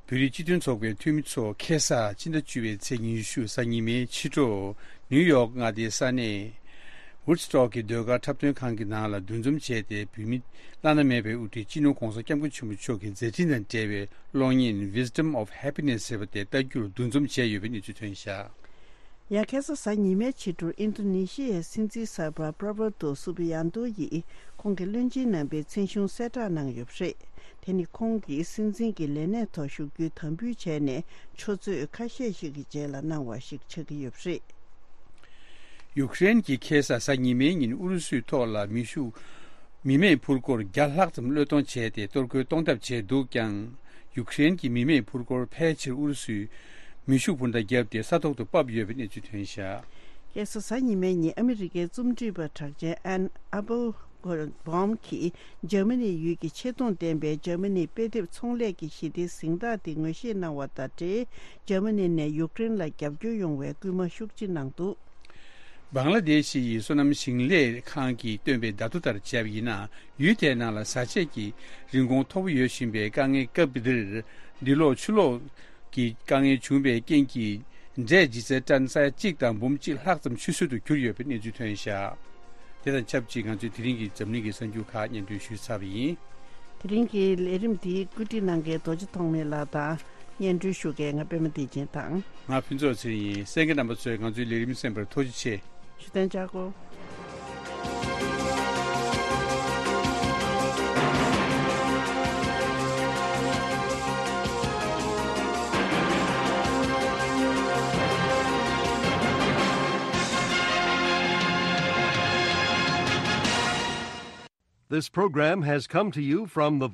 བོད་རིགས་སྤྱི་མཐུན་ཚོགས་པའི་འཐུས་མི་ཚོ་ཁ་སང་སྤྱི་ཟླ་བཅུ་པའི་ཚེས་ཉི་ཤུ་གཟའ་ཉི་མའི་ཕྱི་དྲོ། ནིའུ་ཡོག་མངའ་སྡེའི་ས་གནས་ཝུཌ་སི་ཊོག་གི་ཟློས་གར་འཁྲབ་སྟོན་ཁང་གི་ནང་ལ་འདུ་འཛོམས་བྱས་ཏེ། བོད་མི་བླ་ན་མེད་པའི་དབུ་ཁྲིད་སྤྱི་ནོར་༧གོང་ས་༧སྐྱབས་མགོན་ཆེན་པོ་མཆོག་གི་མཛད་འཕྲིན་དང་འབྲེལ་བའི་གློག་བརྙན་Wisdom of Happiness ཟེར་བ་དེ་ལྟ་རྒྱུར་འདུ་འཛོམས་བྱས་ཡོད་པའི་གནས་ཚུལ་ཐོན་བཞག། ཡང་ཁ་སང་གཟའ་ཉི་མའི་ཕྱི་དྲོར་ཨིན་ཌོ་ནེ་ཤི་ཡའི་སྲིད་འཛིན་གསར་པ་པྲ་བོ་ཏོ་སུ་བི་ཡ་ཏོ་ཡིས་ཁོང་གི་བློན་ཆེན་རྣམ་པའི་མཚན་གཞུང་གསལ་བསྒྲགས་གནང་ཡོད་པ་རེད། དེ་ནི་ཁོང་གིས་སྲིད་འཛིན་གྱི་ལས་གནས་ཐོག་བཞུགས་རྒྱུའི་དམ་འབུལ་བྱས་ནས་ཆུ་ཚོད་ཁ་ཤས་ཤིག་གི་རྗེས་ལ་གནང་བ་ཞིག་ཆགས་ཀྱི་ཡོད་པ་རེད། ཡུཀ་རེན་གྱིས་ཁ་སང་གཟའ་ཉི་མའི་ཉིན་ཨུ་རུ་སུའི་ཐོག་ལ་མེ་ཤུགས། མི་མེད་འཕུར་འཁོར་བརྒྱ་ལྷག་ཙམ་གློད་གཏོང་བྱས་ཏེ། གཏོར་རྒོལ་གཏོང་ཐབས་བྱས་འདུག་ཀྱང་། ཡུཀ་རེན་གྱི་མི་མེད་འཕུར་འཁོར་ཕལ་ཆེར་ཨུ་རུ་སུས་མེ་ཤུགས་འཕུར་མདའ་བརྒྱབ་སྟེ་ས་ཐོག་ཏུ་ཕབ་ཡོད་པའི་གནས་ཚུལ་ཐོན་བཞག། ཁ་སང་གཟའ་ཉི་མའི་ཉིན་ཨ་མི་རི་ཀའི་རྩོམ་སྒྲིག་པ་གྲགས་ཅན་ཨན་ཨ་པོ་བྷོམ་གྱིས་འཇར་མ་ནི་ཡུལ་གྱི་ཆེ་མཐོང་ལྡན་པའི་འཇར་མ་ནི་དཔེ་དེབ་ཚོང་ལས་ཀྱི་ཞི་བདེའི་གཟེངས་རྟགས་དེ་ངོ་ཤེས་གནང་བ་དང་འབྲེལ། འཇར་མ་ནི་ནས་ཡུཀ་རེན་ལ་རྒྱབ་སྐྱོར་ཡོང་བའི་སྐུལ་མ་ཤུགས་ཆེ་གནང་འདུག། བང་ལ་དེ་ཤི་ཡི་སོ་ནམ་ཞིང་ལས་ཁང་གིས་བཏོན་པའི་བརྡ་ཐོ་ལྟར་བྱས་པ་ཡིན་ན། ཡུལ་དེའི་ནང་ལ་བཟའ་ཆས་ཀྱི་རིན་གོང་མཐོ་པོ་ཡོད་བཞིན་པའི་དཀའ་ངལ་སྐབས་འདིར། འདི་ལོ་ཕྱི་ལོགས་ཀྱི་དཀའ་ངལ་བྱུང་བའི་རྐྱེན་གྱིས། འབྲས་ལྗིད་ཚད་ཏན་ས་ཡ་གཅིག་དང་འབུམ་གཅིག་ལྷག་ཙམ་ཆུད་ཟོས་སུ་གྱུར་ཡོད་པའི་གནས་ཚུལ་ཐོན་བཞག། དེ་དང་ཆབས་ཅིག་ང་ཚོས་དེ་རིང་གི་འཛམ་གླིང་གི་གསར་འགྱུར་ཁག་སྙན་སྒྲོན་ཞུས་ཚར་བ་ཡིན། དེ་རིང་གི་ལས་རིམ་འདི་བཀོད་སྒྲིག་གནང་མཁན་རྡོ་རྗེ་ཐོགས་མེད་ལགས་དང་། སྙན་སྒྲོན་ཞུ་མཁན་ང་པད་མ་བདེ་ཆེན་དང་། ང་ཕུན་ཚོགས་ཚེ་རིང་ཡིན། གསན་མཁན་རྣམ་པ་ཚོས་ང་ཚོའི་ལས་རིམ་གསན་པར་ཐུགས་རྗེ་ཆེ། ཞུ་དོན་བྱ་དགོས། This program has come to you from the